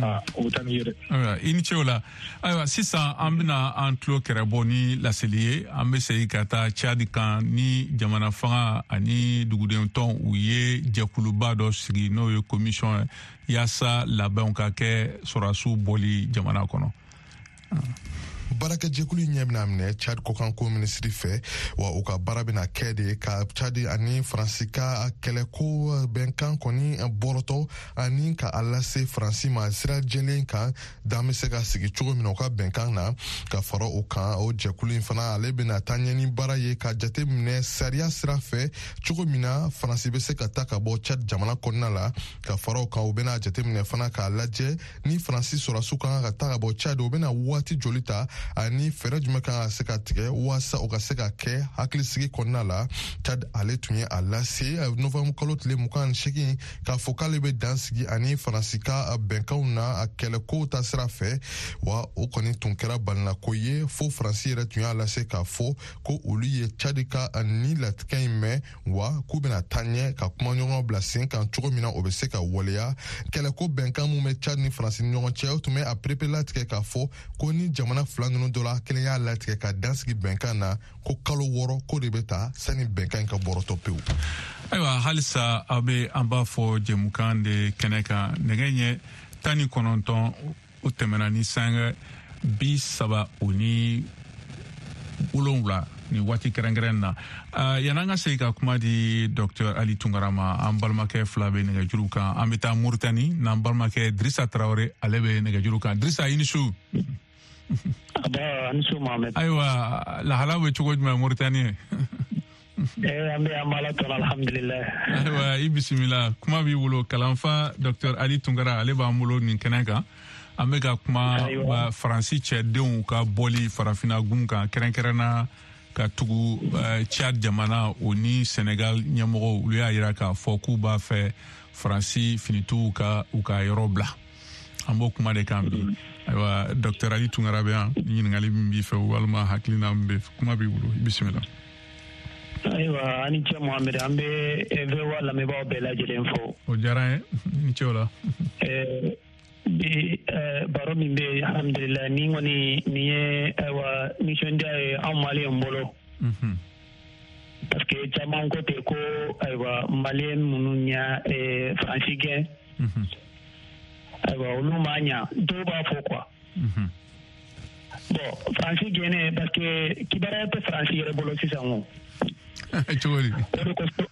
aa o bɛ taa n'i ye dɛ. Ayiwa, i ni ce o la. Ayiwa, sisan an bɛna an tulo kɛrɛbɔ ni laseli ye. An bɛ segin ka taa Tchad kan ni jamana fanga ani duguden tɔn, u ye jɛkuluba dɔ sigi n'o ye commission ye, yaasa labɛnw ka kɛ sɔrɔdasiw bɔli jamana kɔnɔ. Baarakɛjɛkulu ɲɛ bɛna minɛ Tchad kɔkanko minisiri fɛ, wa u ka baara bɛna kɛ de ka Tchad ani Faransi ka kɛlɛko bɛnkan kɔni bɔrɔtɔ ani ka a lase Faransi ma sira jɛlen kan, dan bɛ se ka sigi cogo min na u ka bɛnkan na. Ka fara o kan, o jɛkulu in fana ale bɛna taa ɲɛ ni baara ye ka jate minɛ sariya sira fɛ cogo min na Faransi bɛ se ka taa ka bɔ Tchad jamana kɔnɔna la. Ka fara o kan, u bɛna jate minɛ fana k'a lajɛ ni Faransi sɔrɔdasiw kan ka taa ka bɔ Tchad, u bɛna waati joli ta ani fɛɛrɛ jumɛn kan ka se ka tigɛ waasa o ka se ka kɛ hakilisigi kɔnɔna la. Tchad ale tun ye a lase novembre kalo tile mugan ni seegin k'a fɔ k'ale bɛ dan sigi ani Faransi ka bɛnkanw na a kɛlɛkow ta sira fɛ, wa o kɔni tun kɛra balinako ye fo Faransi yɛrɛ tun y'a lase k'a fɔ ko olu ye Tchad ka ni latigɛ in mɛn, wa k'u bɛna taa ɲɛ ka kumaɲɔgɔn bila sen kan cogo min na o bɛ se ka waleya. Kɛlɛko bɛnkan mun bɛ Tchad ni Faransi ni ɲɔgɔn cɛ, o tun bɛ a perepere latigɛ k'a fɔ ko ni jamana fila ninnu dɔ la kelen y'a latigɛ ka dan sigi bɛnkan na, ko kalo wɔɔrɔ ko de bɛ ta sani bɛnkan in ka bɔrɔtɔ pewu. Ayiwa, halisa aw bɛ an b'a fɔ jɛmukan de kɛnɛ kan. Nɛgɛ ɲɛ tan ni kɔnɔntɔn o tɛmɛna ni sanga bi saba o ni wolonwula ni waati kɛrɛnkɛrɛn na. Uh, yan'an ka segin ka kuma di Docteur Ali Tunkara ma, an balimakɛ fila bɛ nɛgɛjuru kan. An bɛ taa Moritani n'an balimakɛ Dirisa Tarawele, ale bɛ nɛgɛjuru kan. Dirisa, i ni su. Aba, ani su Mohamed. Ayiwa, lahala bɛ cogo jumɛn Moritani? Eh, an bɛ an b'Ala tɔn, alhamdulilayi. Ayiwa, i bisimila, kuma b'i bolo. Kalanfa Docteur Ali Tunkara, ale b'an bolo nin kɛnɛ kan. An bɛ ka kuma Faransi cɛdenw ka bɔli farafinna gun kan, kɛrɛnkɛrɛnna ka tugu Tchad jamana o ni Senegal ɲɛmɔgɔw, olu y'a yira k'a fɔ k'u b'a fɛ Faransi finitigiw ka u ka yɔrɔ bila. An b'o kuma de kan bi. Ayiwa, Docteur Ali Tunkara bɛ yan, ɲininkali min b'i fɛ walima hakilina min bɛ, kuma b'i bolo, i bisimila. Ayiwa, ani cɛ Mohamed, an bɛ V O A lamɛnbaaw bɛɛ lajɛlen fo. O diyara n ye, ni ce o la. Bi baro min bɛ yen, alhamdulilayi, ni kɔni nin ye ayiwa nisɔndiya ye anw maliyɛn bolo. Parce que caman ko ten ko ayiwa maliyɛn minnu y'a Faransi gɛn, ayiwa olu ma ɲa, dɔw b'a fɔ quoi. Bon, Faransi gɛnnen parce que kibaruya tɛ Faransi yɛrɛ bolo sisan o. Cogo di? O de kosɔn.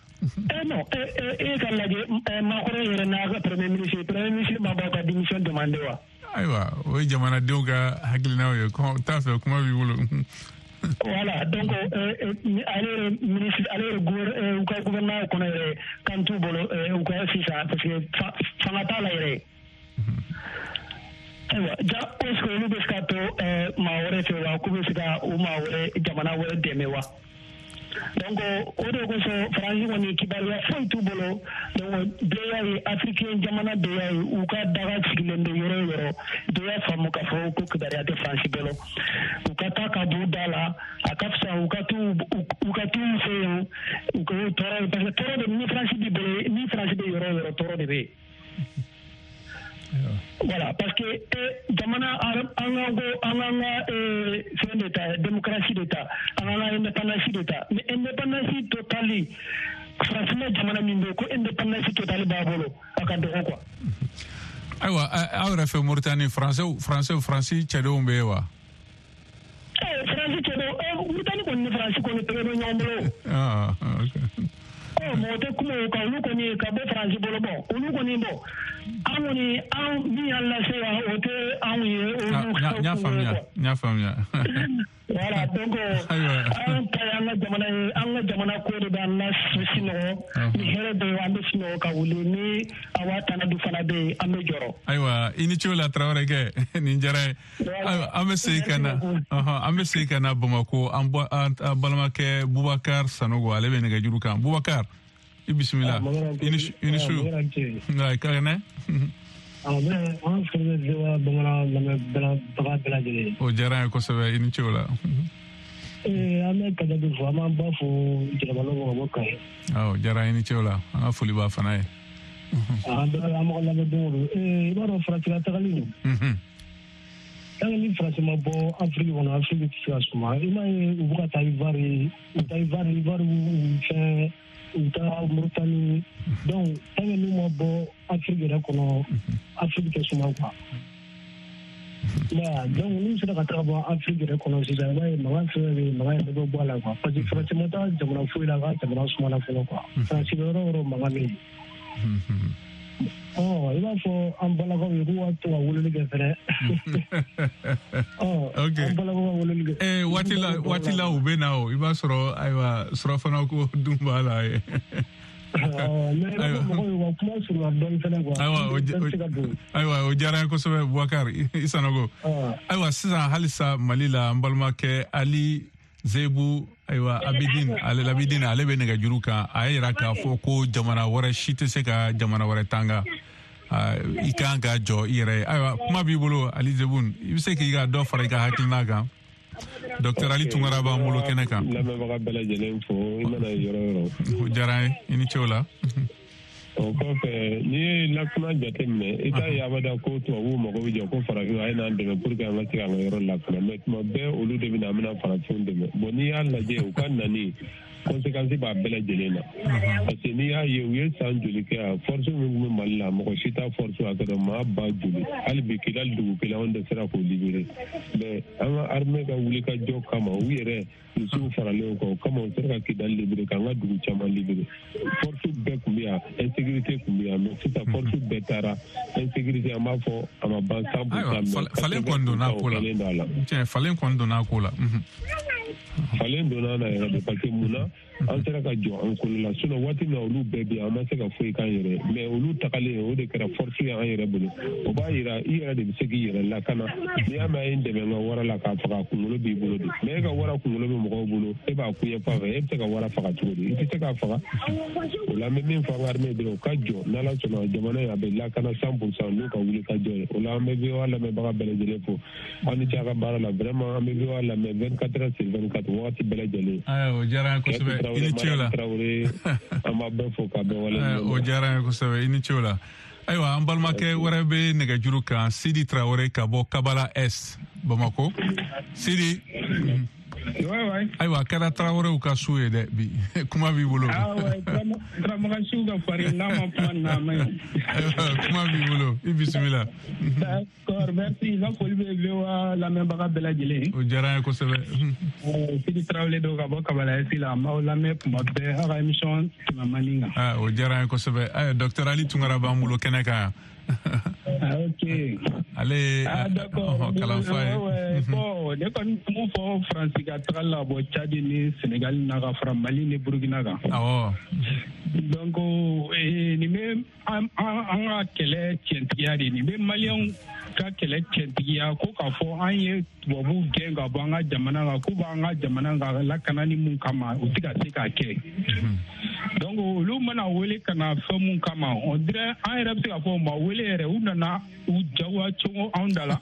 Eh non, eh eh ka lajɛ Macron yɛrɛ n'a ka premier ministre, premier ministre ma bɔ ka démission demander wa. Ayiwa, o ye jamanadenw ka hakilinaw ye, t'a fɛ kuma b'i bolo. Voilà, donc ale yɛrɛ ministre, ale yɛrɛ u ka gouvernement kɔnɔ yɛrɛ kan t'u bolo u ka sisan parce que fanga t'a la yɛrɛ. Ayiwa, ja est-ce que olu bɛ se ka to maa wɛrɛ fɛ wa, k'u bɛ se ka u maa wɛrɛ jamana wɛrɛ dɛmɛ wa? Donc o de kosɔn Faransi kɔni kibaruya foyi t'u bolo. Donc bɛɛ y'a ye, africain jamana bɛɛ y'a ye, u ka daga sigilen bɛ yɔrɔ o yɔrɔ, bɛɛ y'a faamu k'a fɔ ko kibaruya tɛ Faransi bolo. U ka taa ka b'u da la, a ka fisa u ka t'u u ka t'u fɛ yen, u ka tɔɔrɔ, parce que tɔɔrɔ de ni Faransi b'i bolo, ni Faransi bɛ yɔrɔ o yɔrɔ, tɔɔrɔ de bɛ yen. Voilà, parce que eh, jamana an ka ko an k'an ka fɛn de ta, démocratie de ta, an k'an ka indépendance de ta, mais indépendance totale, farafinna jamana min bɛ yen ko indépendance totale b'a bolo, a ka dɔgɔ quoi. Ayiwa, aw yɛrɛ fɛ Mauritanie, français français Faransi cɛdenw bɛ yen wa? Eh, Faransi cɛdenw, eh, Mauritanie kɔni ni Faransi kɔni tɛgɛ bɛ ɲɔgɔn bolo. Ah, ok. Mɔgɔ tɛ kuma o kan, olu kɔni ka bɔ Faransi bolo, bɔn olu kɔni bɔn an kɔni an min y'an lase yan, o tɛ anw ye. N y'a faamuya, n y'a faamuya. Voilà, donc an ta ye an ka jamana ye, an ka jamana ko de b'an la sinɔgɔ, ni hɛrɛ bɛ yen an bɛ sinɔgɔ ka wuli, ni a waa tana du fana bɛ yen an bɛ jɔrɔ. Ayiwa, i ni ce o la Tarawele kɛ, nin diyara n ye. Ayiwa, an bɛ segin ka na, an bɛ segin ka na Bamakɔ, an balimakɛ Bubakar Sanogo, ale bɛ nɛgɛjuru kan. Bubakar, i bisimila. I ni su. Nka ka kɛnɛ. An foli bɛ bamanan lamɛnbaga bɛɛ lajɛlen. O diyara n ye kosɛbɛ, i ni ce o la. Ee an bɛ Kajabi fo, an b'an ba fo Jɛnɛba ka bɔ Kayi. Awɔ, diyara an ye, ni ce o la, an ka foli b'a fana ye. An bɛ an mɔgɔ lamɛn don o don. Ee i b'a dɔn Faransi ka tagali nin. Tant que ni Faransi ma bɔ Afiriki kɔnɔ, Afiriki tɛ se ka suma. I m'a ye u bɛ ka taa Ivoire, u taa Ivoire, Ivoire u fɛn, u taa Mauritanie. Donc tant que n'u ma bɔ Afiriki yɛrɛ kɔnɔ, Afiriki tɛ suma quoi. Donc n'u sera ka taga bɔ Afiriki yɛrɛ kɔnɔ sisan, i b'a ye mankan fɛn fɛn bɛ yen, mankan yɛrɛ bɛ bɔ a la quoi. Parce que Faransi ma taa jamana foyi la k'a jamana sumana fɔlɔ quoi. Faransi bɛ yɔrɔ o yɔrɔ mankan bɛ yen. Ɔ i b'a fɔ an balakaw ye k'u ka to ka weleli kɛ fɛnɛ. Ɔ an balakaw ka weleli kɛ. Ee waati la waati la u bɛ na o, i b'a sɔrɔ ayiwa surafana ko dun b'a la ye. Ayiwa, o diyara n ye kosɛbɛ Bubakar i Sanogo. Ayiwa sisan halisa Mali la, an balimakɛ Ali Zebu, ayiwa Abidin, ale Labidin, ale bɛ nɛgɛjuru kan. A y'a yira k'a fɔ ko jamana wɛrɛ si tɛ se ka jamana wɛrɛ tanga, i kan ka jɔ i yɛrɛ ye. Ayiwa kuma b'i bolo Ali Zebu, i bɛ se k'i ka dɔ fara i ka hakilina kan. Docteur Ali Tunkara b'an bolo kɛnɛ kan. Lamɛnbaga bɛɛ lajɛlen fo, i mana yɔrɔ yɔrɔ. O diyara n ye, i ni ce o la. O kɔfɛ, n'i ye lakana jateminɛ, i t'a ye abada ko tubabuw mago bɛ jɔ ko farafinw a ye n'an dɛmɛ pour que an ka se k'an ka yɔrɔ lakana, mais tuma bɛɛ olu de bɛ na an bɛna farafinw dɛmɛ. Bon n'i y'a lajɛ u ka nani conséquence b'a bɛɛ lajɛlen na, parce que n'i y'a ye u ye san joli kɛ yan, force min tun bɛ Mali la, mɔgɔ si t'a force hakɛ dɔn, maa ba joli, hali bi Kidali dugu kelen anw dɛsɛra k'o libérer, mais an ka armée ka wulikajɔ kama u yɛrɛ misiw faralen kɔ o kama u sera ka Kidali libérer, k'an ka dugu caman libérer. Force bɛɛ tun bɛ yan, insécurité tun bɛ yan, mais sisan force bɛɛ taara, insécurité an b'a fɔ a ma ban cent pour cent, mais falen kɔni donna a ko la. Tiɲɛ, falen kɔni donna a ko la. Falen donna na yɛrɛ de, parce que mun na an sera ka jɔ an kolo la, sinon waati min na olu bɛɛ bɛ yan, an ma se ka foyi k'an yɛrɛ, mais olu tagalen o de kɛra force ye an yɛrɛ bolo. O b'a yira i yɛrɛ de bɛ se k'i yɛrɛ lakana. N'i y'a mɛn a ye n dɛmɛ n ka wara la k'a faga, a kunkolo b'i bolo de, mais e ka wara kunkolo bɛ mɔgɔw bolo, e b'a kun ɲɛ fan fɛ, e bɛ se ka wara faga cogo di? I tɛ se k'a faga. O la an bɛ min fɔ an ka armée dɔrɔn, u ka jɔ n'Ala sɔnna jamana in a bɛ lakana cent pour cent n'u ka wuli ka jɔ ye. O la an bɛ V O A lamɛnbaga bɛɛ lajɛlen fo, aw ni ce a ka baara la, vraiment an bɛ V O A lamɛn vingt-quatre heures sur vingt-quatre wagati bɛɛ lajɛlen. Ayiwa o diyara an ye kosɛbɛ, i ni ce o la. An b'a bɛɛ fo k'a bɛɛ waleɲuman. O diyara an ye kosɛbɛ, i ni ce o la. Ayiwa an balimakɛ wɛrɛ bɛ nɛgɛjuru kan, Sidi Traoré ka bɔ Kabala S Bamako. Sidi. Ayiwa a kɛra Traoréw ka su ye dɛ bi, kuma b'i bolo. Turamagan siw ka farin, n'a ma kuma na a ma ɲi. Kuma b'i bolo, i bisimila. D'accord, merci. N ka foli bɛ V O A lamɛnbaga bɛɛ lajɛlen. O diyara an ye kosɛbɛ. Sidi Traoré don ka bɔ Kabala S la, an b'aw lamɛn tuma bɛɛ, aw ka émission tɛmɛ man di kan. O diyara an ye kosɛbɛ. Ayiwa docteur Ali Tunkara b'an bolo kɛnɛ kan yan. Ah, ok. Ale ah, d'accord. Kalanfa ye. Bon, ne kɔni mun fɔ Faransi ka taga la bɔ Tchad ni Sénégal na ka fara Mali ni Burkina kan. Awɔ. Donc nin bɛ an ka kɛlɛ tiɲɛtigiya de, nin bɛ maliyɛnw ka kɛlɛ tiɲɛtigiya ko k'a fɔ an ye tubabuw gɛn ka bɔ an ka jamana kan, k'u b'an ka jamana kan lakanani mun kama, u tɛ ka se k'a kɛ. Donc olu mana wele ka na fɛn mun kama, on dirait an yɛrɛ bɛ se k'a fɔ u ma wele yɛrɛ, u nana u jagoya cogo anw da la.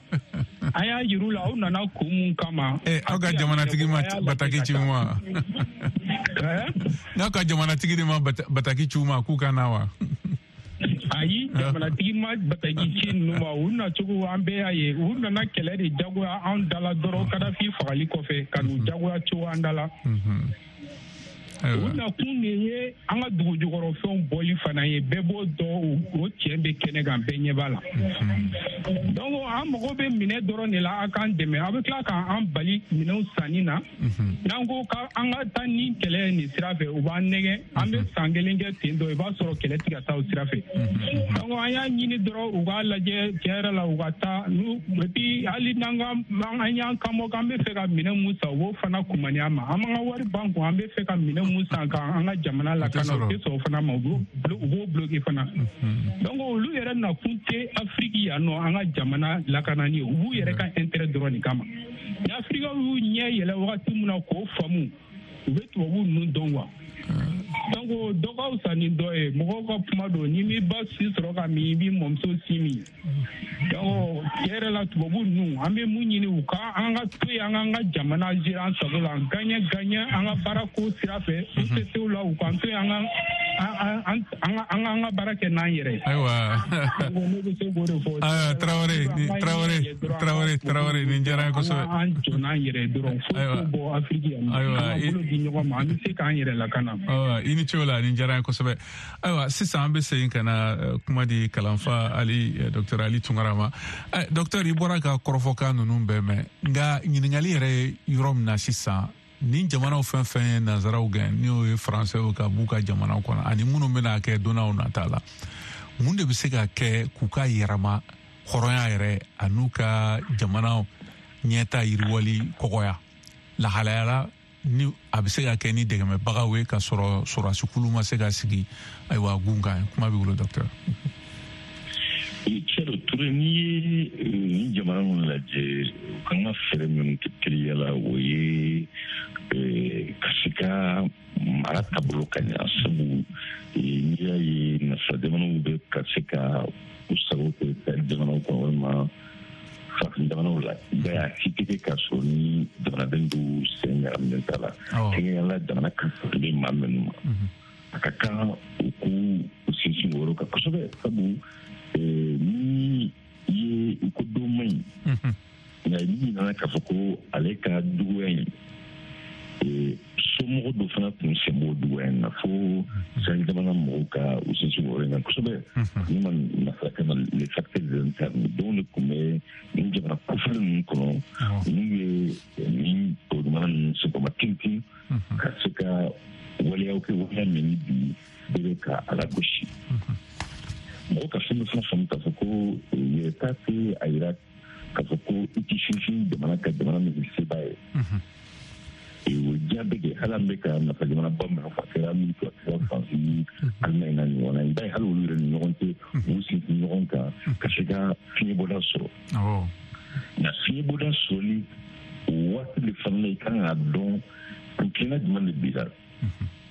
An y'a yir'u la u nana kun mun kama. Eh, aw ka jamanatigi ma bataki ci u ma. N'aw ka jamanatigi de ma bataki ci u ma k'u ka na wa? Ayi, jamanatigi ma bataki ci ninnu ma, u nacogo an bɛɛ y'a ye, u nana kɛlɛ de jagoya anw da la dɔrɔn Kadafi fagali kɔfɛ ka n'u jagoya cogo an da la. U nakun de ye an ka dugu jukɔrɔfɛnw bɔli fana ye, bɛɛ b'o dɔn, o tiɲɛ bɛ kɛnɛ kan, bɛɛ ɲɛ b'a la. Donc an mago bɛ minɛ dɔrɔn de la, a k'an dɛmɛ, a bɛ tila k'an bali minɛnw sanni na. N'an ko k'an ka taa ni kɛlɛ ye nin sira fɛ, u b'an nɛgɛ, an bɛ san kelen kɛ ten tɔ, i b'a sɔrɔ kɛlɛ tɛ ka taa o sira fɛ. Donc an y'a ɲini dɔrɔn u k'a lajɛ tiɲɛ yɛrɛ la, u ka taa n'u, et puis hali n'an ka an y'an kan bɔ k'an bɛ fɛ ka minɛn mun san, u b'o fana kumani an ma, an b'an ka wari ban kun, an bɛ fɛ ka minɛn mun san k'an ka jamana lakana, u tɛ sɔn o fana ma, u b'o bloquer fana. Donc olu yɛrɛ nakun tɛ Afiriki yan nɔ an ka jamana lakanani ye, u b'u yɛrɛ ka intérêt dɔrɔn de kama. Ni Afirikaw y'u ɲɛ yɛlɛ wagati min na k'o faamu, u bɛ tubabu ninnu dɔn quoi. Donc Donc dɔ ka fisa ni dɔ ye, mɔgɔw ka kuma don, n'i m'i ba si sɔrɔ ka min, i b'i mɔmuso si min. Donc tiɲɛ yɛrɛ la, tubabu ninnu, an bɛ mun ɲini u ka, an ka to yen, an k'an ka jamana gérer an sago la, gagner gagner an ka baara ko sira fɛ, u tɛ se o la, u k'an to yen, an ka an an an ka baara kɛ n'an yɛrɛ ye. Ayiwa. Ne bɛ se k'o de fɔ. Ayiwa, Tarawele, Tarawele, Tarawele, Tarawele, nin diyara n ye kosɛbɛ. An jɔ n'an yɛrɛ ye dɔrɔn, foyi t'o bɔ Afiriki yan. Ayiwa, an ka bolo di ɲɔgɔn ma, an bɛ se k'an yɛrɛ lakana. Ayiwa, i ni ce o la, nin diyara n ye kosɛbɛ. Ayiwa, sisan an bɛ segin ka na kuma di kalanfa Ali, docteur Ali Tunkara ma. Docteur, i bɔra ka kɔrɔfɔkan ninnu bɛɛ mɛn, nka ɲininkali yɛrɛ ye yɔrɔ min na sisan, ni jamanaw fɛn fɛn ye nanzaraw gɛn, n'o ye faransɛw ka b'u ka jamanaw kɔnɔ, ani minnu bɛna kɛ donnaw nata la, mun de bɛ se ka kɛ k'u ka yɛrɛma hɔrɔnya yɛrɛ an'u ka jamanaw ɲɛta yiriwali kɔgɔya lahalaya la, ni a bɛ se ka kɛ ni dɛmɛbagaw ye ka sɔrɔ sɔrɔdasikulu ma se ka sigi ayiwa gun kan? Kuma b'i bolo, docteur. Cɛro Ture, n'i ye nin jamana ninnu lajɛ, u kan ka fɛɛrɛ minnu kɛ teliya la, o ye ka se ka mara taabolo ka ɲa, sabu n'i y'a ye nafa jamanaw bɛ ka se ka u sago kɛ jamanaw kɔnɔ walima farafin jamanaw la, i b'a ye a si tɛ kɛ k'a sɔrɔ ni jamanaden dɔw sen ɲagaminen t'a la. Kɛrɛnkɛrɛnnenya la, jamana ka bɛ maa minnu ma, a ka kan u k'u sinsin o yɔrɔ kan kosɛbɛ, sabu ni i ye i ko don man ɲi, nka n'i nana k'a fɔ ko ale ka duguya in, somɔgɔ dɔ fana tun sen b'o duguya in na, fo Sahel jamana mɔgɔw ka u sinsin o yɔrɔ in kan kosɛbɛ. Ni ma nafa kama, les facteurs internes dɔw de tun bɛ nin jamana kofɔlen ninnu kɔnɔ, n'u ye nin jamana ninnu senkɔrɔma tintin ka se ka waleyaw kɛ, waleya min ni bi bɛɛ bɛ ka a lagosi. Mɔgɔ ka fɛn dɔ fana faamu k'a fɔ ko yɛrɛta tɛ a yira k'a fɔ ko i t'i sinsin jamana ka jamana min ye seba ye. O diɲɛ bɛɛ kɛ, hali an bɛ ka nafa jamana ba minnu fɔ, a kɛra Ameriki, a kɛra Faransi ni Alimaɲi n'a ɲɔgɔnna, i b'a ye hali olu yɛrɛ ni ɲɔgɔn cɛ, u sinsin ɲɔgɔn kan ka se ka fiɲɛbɔda sɔrɔ. Nka fiɲɛbɔda sɔrɔli o waati de fana la, i kan k'a dɔn kuntilenna jumɛn de b'i la.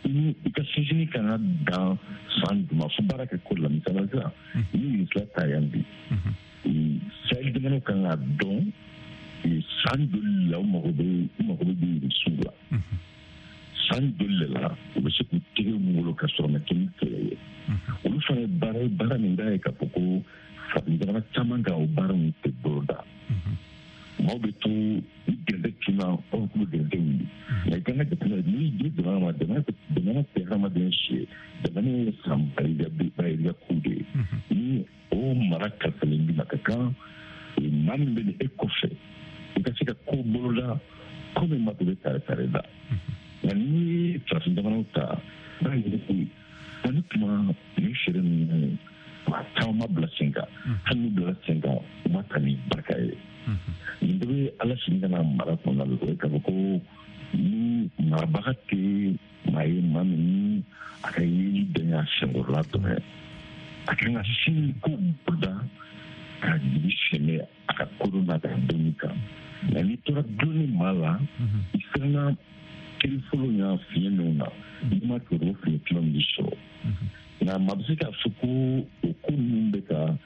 Ni i ka sinsinni kan ka dan san jumɛn, fo baara kɛ ko la. Misaliya sisan, ni Irisi ta yan bi, Sahel jamanaw kan k'a dɔn san joli la u mago bɛ u mago bɛ Irisiw la, san joli de la u bɛ se k'u tɛgɛ bolo ka sɔrɔ ma kɛ ni kɛlɛ ye. Olu fana ye baara ye, baara min b'a ye k'a fɔ ko farafin jamana caman ka o baara ninnu tɛ boloda. Maaw bɛ to ni gɛrɛntɛ tunna, aw k'u bɛ gɛrɛntɛ wuli, nka i kan ka jateminɛ n'i ye jamana ma, jamana jamana tɛ hadamaden si ye, jamana ye san bayirika ko de ye. Ni o mara kalifalen b'i ma, ka kan maa min bɛ e kɔfɛ, i ka se ka ko boloda ko min ma to bɛ tare tare da. Nka n'i ye farafin jamanaw ta, i b'a ye ko ani tuma nin feere ninnu maa caman ma bila sen kan, hali n'u bila sen kan, u ma ta ni barika ye. Nin bɛɛ bɛ ala sigi ka na mara kɔnɔna la, o ye k'a fɔ ko ni marabaga tɛ maa ye, maa min ni a ka yeli bɛn y'a senkɔrɔla dɔrɔn ye, a kan ka sini ko boloda ka jigi sɛmɛ a ka kodɔn n'a ka dɔnni kan. Nka n'i tora dulonni maa la, i siranna kiri fɔlɔ y'a fiɲɛ minnu na, n'i ma kɛ o fiɲɛ filanan b'i sɔrɔ. Nka maa bɛ se k'a fɔ ko o ko ninnu bɛ ka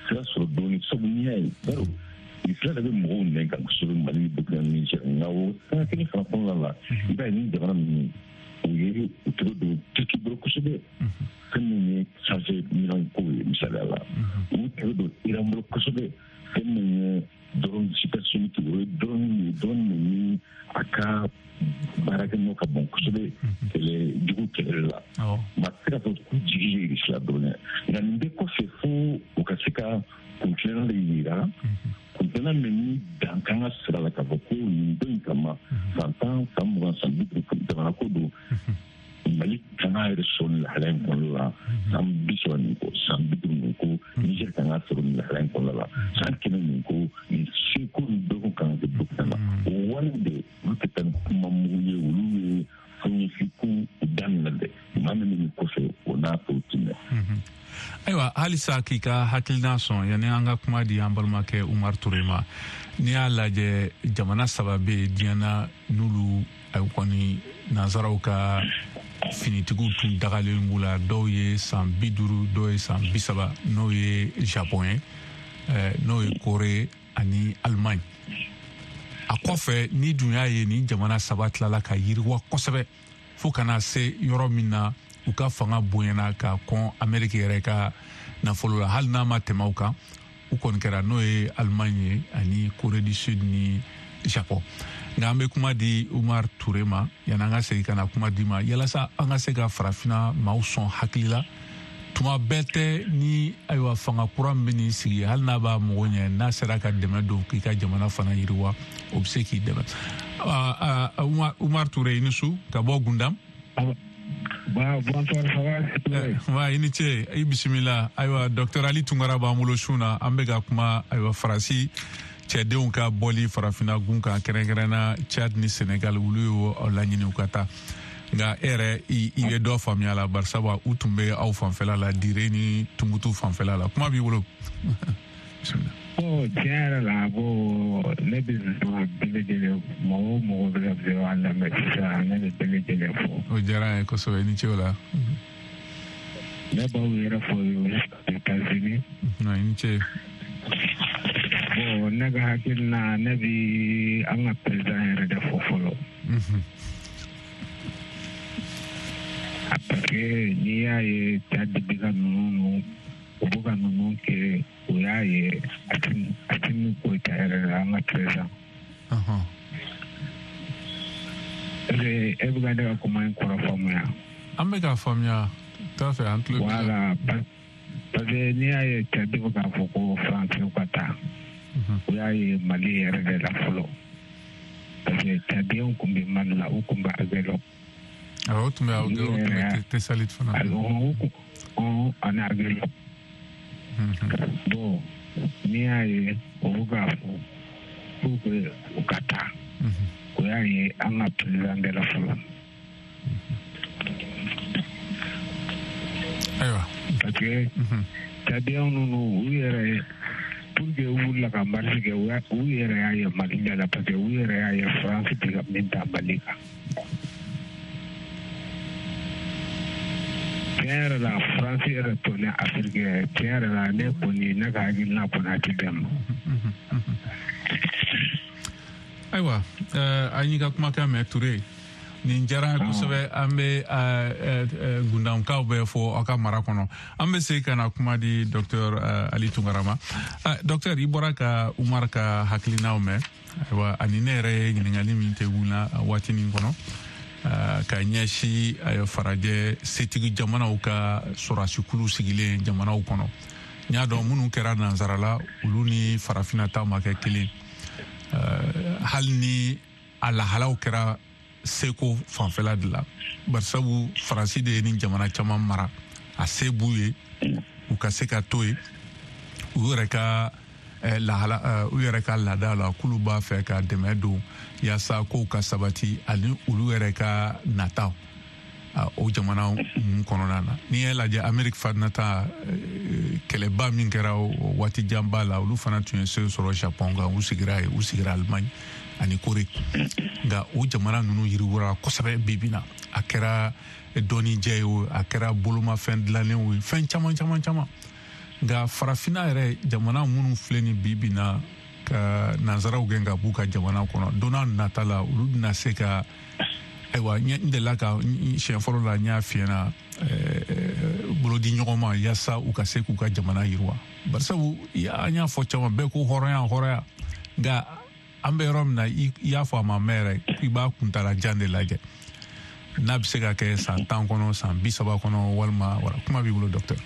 sira sɔrɔ dɔɔnin, sabu n'i y'a ye baro fila de bɛ mɔgɔw nɛn kan kosɛbɛ Mali ni Burkina ni Niger, nka o sanga kelen fana kɔnɔna la, i b'a ye ni jamana ninnu u ye u tɛgɛ don Turki bolo kosɛbɛ, fɛn min ye sanfɛ minɛn kow ye misaliya la, u tɛgɛ don Iran bolo kosɛbɛ, fɛn min ye drone supersonique, o ye drone ye, drone min ni a ka baarakɛnɔ ka bon kosɛbɛ kɛlɛ jugu kɛlɛ la. Maa tɛ se k'a fɔ k'u jigi ye Irisi la dɔrɔn dɛ, nka nin bɛɛ kɔfɛ, fo u ka se ka kuntilenna de yira, kuntilenna min ni dan kan ka sira la k'a fɔ ko nin don in kama, san tan, san mugan, san bi duuru, jamana ko don, Mali kan k'a yɛrɛ sɔrɔ nin lahalaya in kɔnɔna la san bi saba nin ko, san bi duuru nin ko, Niger kan k'a sɔrɔ nin lahalaya in kɔnɔna la san kɛmɛ nin ko, nin seko ni dɔgɔ kan ka kɛ Burkina la. O wale de olu tɛ taa ni kuma mugu ye, olu ye fɛn ko daminɛ dɛ, maa min bɛ nin kɔfɛ o n'a tɔw ti mɛn. Ayiwa, halisa k'i ka hakilina sɔn yanni an ka kuma di an balimakɛ Umar Ture ma, n'i y'a lajɛ jamana saba bɛ yen diɲɛ na n'olu ayi kɔni nansaraw ka Finitigiw tun dagalen b'u la, dɔw ye san bi duuru, dɔw ye san bi saba, n'o ye Japon ye, n'o ye Corée ani Allemagne. A kɔfɛ ni dun y'a ye ni jamana saba tilala ka yiriwa kosɛbɛ fo ka na se yɔrɔ min na u ka fanga bonyana ka kɔn Amérique yɛrɛ ka nafolo la, hali n'a ma tɛmɛ o kan, u kɔni kɛra n'o ye Allemagne ye ani Corée du Sud ni Japon. Nka an bɛ kuma di Umar Ture ma yanni an ka segin ka na kuma di ma, yalasa an ka se ka farafinna maaw sɔn hakili la. Tuma bɛɛ tɛ ni ayiwa fanga kura min bɛ n'i sigi, hali n'a b'a mago ɲɛ, n'a sera ka dɛmɛ don k'i ka jamana fana yiriwa, o bɛ se k'i dɛmɛ. Umar Ture, i ni su ka bɔ Gundam. Bonsoir, ça va? Wa i ni ce, i bisimila. Ayiwa, docteur Ali Tunkara b'an bolo su na, an bɛ ka kuma ayiwa Faransi cɛdenw ka bɔli farafinna gun kan, kɛrɛnkɛrɛnna Tchad ni Sénégal, olu y'o laɲini u ka taa. Nka e yɛrɛ i bɛ dɔ faamuya la, barisabu u tun bɛ aw fanfɛla la, Dire ni Tumutu fanfɛla la. Kuma b'i bolo. Bon, tiɲɛ yɛrɛ la, bon, ne bɛ bɛɛ lajɛlen, mɔgɔ o mɔgɔ bɛ ka se an lamɛn sisan, ne bɛ bɛɛ lajɛlen fo. O diyara an ye kosɛbɛ, i ni ce o la. Ne b'aw yɛrɛ fo États-Unis. I ni ce. Bon, ne ka hakilina, ne bi an ka président yɛrɛ de fo fɔlɔ. Parce que n'i y'a ye Tchad bɛ ka ninnu, u bɛ ka ninnu kɛ, o y'a ye Assimi Goïta yɛrɛ la, an ka président. Est-ce que e bɛ ka ne ka kuma in kɔrɔ faamuya? An bɛ k'a faamuya, t'a fɛ an tulo b'i la. Voilà, parce que n'i y'a ye Tchad bɛ k'a fɔ ko Faransiw ka taa, o y'a ye Mali yɛrɛ de la fɔlɔ. Parce que Tchadiens tun bɛ Mali la, u tun bɛ Aguelhok. Awɔ, o tun bɛ Aguelhok, o tun bɛ Tessalit fana. Awɔ, ani Aguelhok. Bon, n'i y'a ye o bɛ k'a fɔ pour que u ka taa, o y'a ye an ka président de la fɔlɔ. Ayiwa. Parce que Tchadiens ninnu, u yɛrɛ pour que u wulila ka marche kɛ, u yɛrɛ y'a ye Mali de la, parce que u yɛrɛ y'a ye France tɛ ka min ta Mali kan. Tiɲɛ yɛrɛ la, France yɛrɛ tonnen Afiriki yɛrɛ, tiɲɛ yɛrɛ la, ne kɔni, ne ka hakilina kɔni a ti bɛn ma. Ayiwa, an y'i ka kumakan mɛn Ture. Nin diyara an ye kosɛbɛ. An bɛ Gundamkaw bɛɛ fɔ aw ka mara kɔnɔ. An bɛ segin ka na kuma di docteur Ali Tunkara ma. Docteur, i bɔra ka Umar ka hakilinaw mɛn. Ayiwa, ani ne yɛrɛ ye ɲininkali min tɛ wula waati nin kɔnɔ, ka ɲɛsin farajɛ setigi jamanaw ka sɔrɔdasikulu sigilen jamanaw kɔnɔ. N y'a dɔn minnu kɛra nansara la, olu ni farafinna taw ma kɛ kelen. Hali ni a lahalaw kɛra seko fanfɛla de la, barisabu Faransi de ye ni jamana caman mara, a se b'u ye u ka se ka to yen, u yɛrɛ ka lahala, u yɛrɛ ka laada la, k'olu b'a fɛ ka dɛmɛ don yaasa kow ka sabati ani olu yɛrɛ ka nataw o jamana ninnu kɔnɔna na. N'i y'a lajɛ Amérique fana ta kɛlɛba min kɛra o waati janba la, olu fana tun ye se sɔrɔ Japon kan, u sigira yen, u sigira Allemagne ani Corée. Nka o jamana ninnu yiriwara kosɛbɛ bi bi na, a kɛra dɔnnijɛ ye o, a kɛra bolomafɛn dilannen o, fɛn caman caman caman. Nka farafinna yɛrɛ jamana minnu filɛ nin bi bi na ka nansaraw gɛn ka b'u ka jamana kɔnɔ, don n'a nata la olu bɛna se ka, ayiwa, n delila ka siɲɛ fɔlɔ la n y'a f'i ɲɛna, bolodi ɲɔgɔn ma yaasa u ka se k'u ka jamana yiriwa. Barisabu an y'a fɔ caman bɛɛ ko hɔrɔnya hɔrɔnya, nka an bɛ yɔrɔ min na, i y'a fɔ a ma mɛn yɛrɛ, i b'a kuntala jan de lajɛ, n'a bɛ se ka kɛ san tan kɔnɔ, san bi saba kɔnɔ, walima wala. Kuma b'i bolo docteur.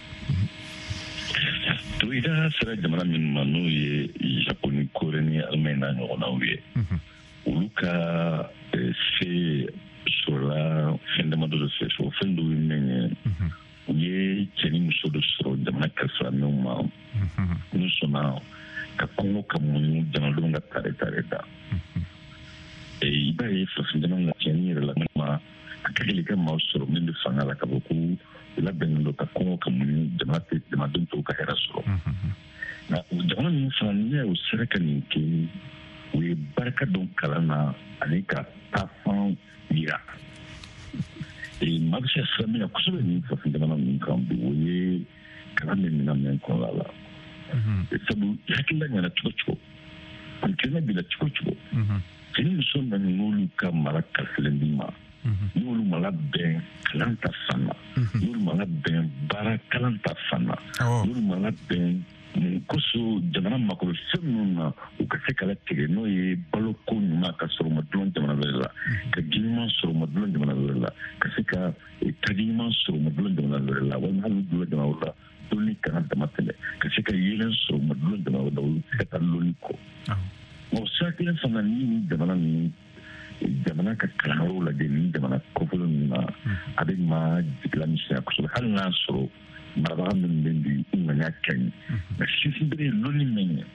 To i da sera jamana minnu ma, n'o ye Japon ni Corée ni Allemagne n'a ɲɔgɔnnaw ye, olu ka se sɔrɔla fɛn damadɔ de fɛ. O fɛn dɔw ye min ye, u ye cɛ ni muso dɔ sɔrɔ jamana kalifa minnu ma, n'u sɔnna ka kɔngɔ ka muɲu jamanadenw ka tare tare ta. I b'a ye farafin jamana na, tiɲɛni yɛrɛ la, ma a ka gɛlɛn ka maaw sɔrɔ min bɛ fanga la ka fɔ ko u labɛnnen don ka kɔngɔ ka muɲu jamana tɛ jamanadenw tɔw ka hɛrɛ sɔrɔ. Nka jamana ninnu fana, n'i y'a ye u sera ka nin kɛ, u ye barika don kalan na ani ka taafan yira. Maa bɛ se ka siran min na kosɛbɛ nin farafin jamana ninnu kan bi, o ye kalan bɛ minɛn min kɔnɔna la. Sabu hakilila ɲɛna cogo cogo, kuntilenna b'i la cogo cogo, cɛ ni muso nana n'olu ka mara kalifilen d'i ma, n'olu ma labɛn kalan ta fan na, n'olu ma labɛn baara kalan ta fan na, n'olu ma labɛn mun kosɔn jamana mako bɛ fɛn minnu na u ka se ka latigɛ, n'o ye baloko ɲuman ka sɔrɔ u ma dulon jamana wɛrɛ la, ka ji ɲuman sɔrɔ u ma dulon jamana wɛrɛ la, ka se ka taji ɲuman sɔrɔ u ma dulon jamana wɛrɛ la, walima hali u dulon jamana wɛrɛ la dɔnni kana dama tɛmɛ, ka se ka yeelen sɔrɔ u ma dulon jamana wɛrɛ la, olu tɛ se ka taa lɔnni kɔ. O sira kelen fana, ni ni jamana ninnu jamana ka kalanyɔrɔw lajɛ ni jamana kɔfɛla ninnu na, a bɛ maa jigila misɛnya kosɛbɛ, hali n'a sɔrɔ marabaga minnu bɛ bi u ŋaniya ka ɲi, nka sinsin bere ye lɔnni min ye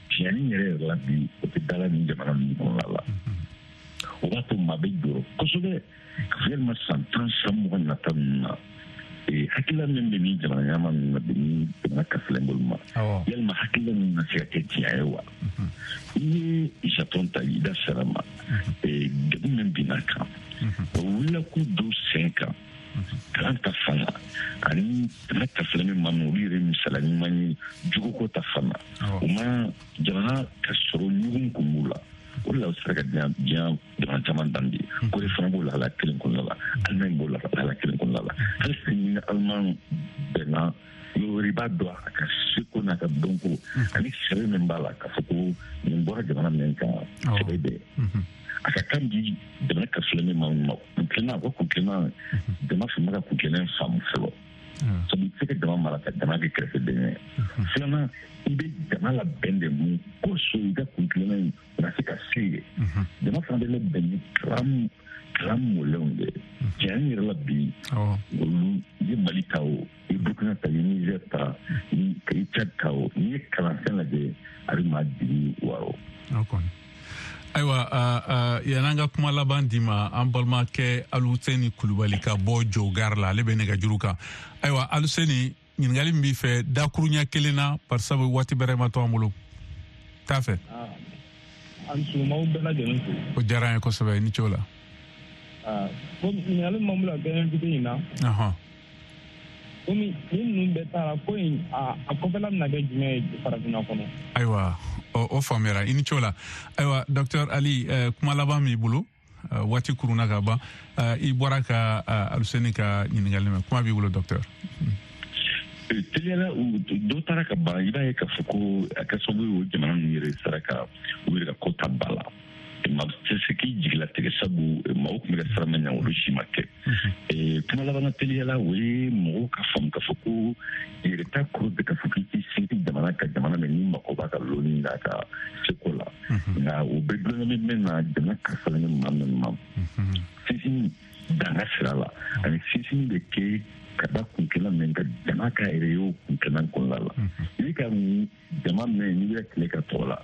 tiɲɛni yɛrɛ yɛrɛ la bi, o tɛ da la nin jamana ninnu kɔnɔna la. O b'a to maa bɛ jɔrɔ kosɛbɛ ka fɔ yalima san tan san mugan nata ninnu na, hakilila min bɛ nin jamana ɲɛmaa ninnu na bi ni jamana kafilen bolo ma, yalima hakilila ninnu na se ka kɛ tiɲɛ ye wa? I ye Japon ta, i da sera ma degun min binna kan, o wulila k'u don sen kan kalan ta fan na, ani jamana kafilen min ma min, olu yɛrɛ misaliya ɲuman ye jugoko ta fan na, u ma jamana ka sɔrɔ ɲugun kun b'u la. O de la u sera ka diɲɛ diɲɛ jamana caman dan bi. Kore fana b'o lahala kelen kɔnɔna la, Allemagne b'o lahala kelen kɔnɔna la. Hali sini ni Allemagne bɛnna yɔrɔ wɛrɛ, i b'a dɔn a ka seko n'a ka dɔnko ani sɛbɛn min b'a la k'a fɔ ko nin bɔra jamana min kan, sɛbɛn bɛ a ka kan di jamana ka filɛ min ma kuntilenna, o kuntilenna jama fana ka kuntilenna faamu fɔlɔ. Sabu i tɛ se ka jama mara ka jama kɛ kɛrɛfɛden ye. Filanan, i bɛ jama labɛn de mun kosɔn i ka kuntilenna in o ka se ka se yen. Jama fana bɛ labɛn ni kalan kalan mɔlenw de ye. Tiɲɛ yɛrɛ la bi, olu i ye Mali ta o, i ye Burukina ta, i ye Niger ta, i ye Tchad ta o, n'i ye kalanfɛn lajɛ a bɛ maa jigi wɔɔrɔ. Ayiwa, yan'an ka kuma laban d'i ma, an balimakɛ Aluseni Kulubali ka bɔ Jogari la, ale bɛ nɛgɛjuru kan. Ayiwa Aluseni, ɲininkali min b'i fɛ dakuruɲɛ kelen na, barisabu waati bɛrɛ ma to an bolo, t'a fɛ. An sumaw bɛɛ lajɛlen fo. O diyara an ye kosɛbɛ, i ni ce o la. Komi ɲininkali min b'an bolo a bɛɛ invité in na. Komi ni ninnu bɛɛ taara ko in a a kɔfɛla bɛna kɛ jumɛn ye farafinna kɔnɔ? Ayiwa, o faamuyara, i ni ce o la. Ayiwa docteur Ali, kuma laban b'i bolo, waati kurunna ka ban, i bɔra ka Aluseni ka ɲininkali mɛn, kuma b'i bolo docteur. Teliyala dɔ taara ka ban, i b'a ye k'a fɔ ko a kɛ sababu ye o jamana ninnu yɛrɛ sera ka u yɛrɛ ka ko ta ba la. Maa tɛ se k'i jigilatigɛ, sabu maaw tun bɛ ka sira min ɲɛ olu si ma kɛ. Kuma laban na teliyala, o ye mɔgɔw ka faamu k'a fɔ ko yɛrɛta kɔrɔ bɛ k'a fɔ k'i t'i sinsin jamana ka jamana min n'i mako b'a ka lɔnni n'a ka seko la, nka o bɛ dulon min na jamana kalifalen bɛ maa min ma, sinsin danga sira la, ani sinsin bɛ kɛ ka da kuntilenna min ka jama ka yɛrɛ ye o kuntilenna kɔnɔna la. I bɛ ka jama min n'i bɛ tile ka tɔgɔ la,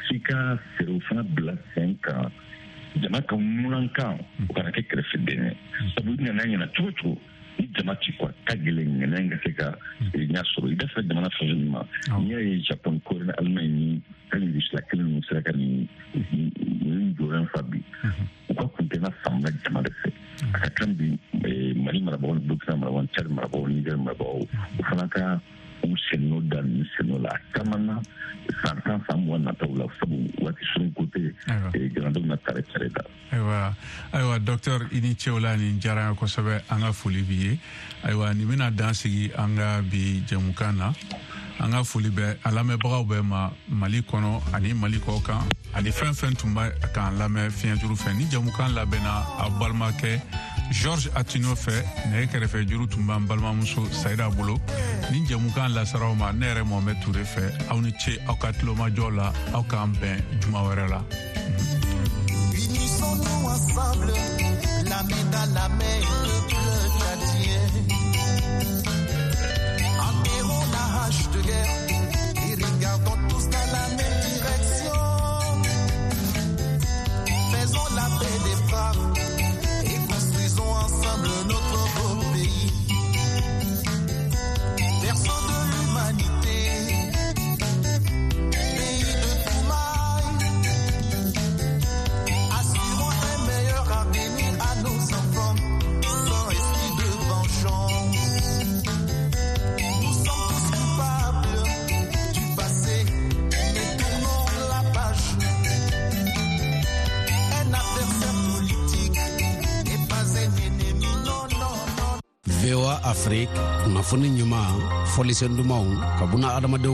f'i ka fɛɛrɛw fana bila sen kan jama ka ŋunankan o kana kɛ kɛrɛfɛden ye. Sabu i nana ɲɛna cogo cogo, ni jama ci kɔ a ka gɛlɛn ŋɛnɛ in ka se ka ɲɛ sɔrɔ. I da sera jamana fɛn fɛn ma, n'i y'a ye Japon, Kore ni Allemagne ni hali Rusila kelen ninnu sera ka nin nin jɔyɔrɔ in fa bi, u ka kuntilenna faamuna jama de fɛ. A ka kan bi Mali marabagaw ni Burukina marabagaw ni Tchad marabagaw ni Niger marabagaw, o fana ka u sennɔ da ninnu sennɔ la a caman na san tan san mugan nataw la, sabu waati surun ko tɛ, jamanadenw na tare tare da. Ayiwa, ayiwa docteur, i ni ce o la, nin diyara an ye kosɛbɛ, an ka foli b'i ye. Ayiwa, nin bɛna dan sigi an ka bi jɛmukan na. An ka foli bɛ a lamɛnbagaw bɛɛ ma Mali kɔnɔ ani Mali kɔ kan, ani fɛn fɛn tun bɛ k'an lamɛn fiɲɛjuru fɛ. Ni jɛmukan labɛnna a balimakɛ Georges Atino fɛ, nɛgɛ kɛrɛfɛ juru tun b'an balimamuso Sayida bolo. Ni jɛmukan lasaraw ma, ne yɛrɛ Mohamed Touré fɛ. Aw ni ce aw ka tulomajɔ la, aw k'an bɛn juma wɛrɛ la. Unissons-nous ensemble, la main dans la main, peuple tchadien. Enterrons la hache de guerre et regardons tous dans la même direction. Faisons la paix des frères et construisons ensemble notre beau pays. Berceau de l'humanité, pays de Toumaï, assurons un meilleur avenir à nos enfants. Sans Afrique, kunnafoni ɲuman, fɔlisen dumanw ka buna adamadenw.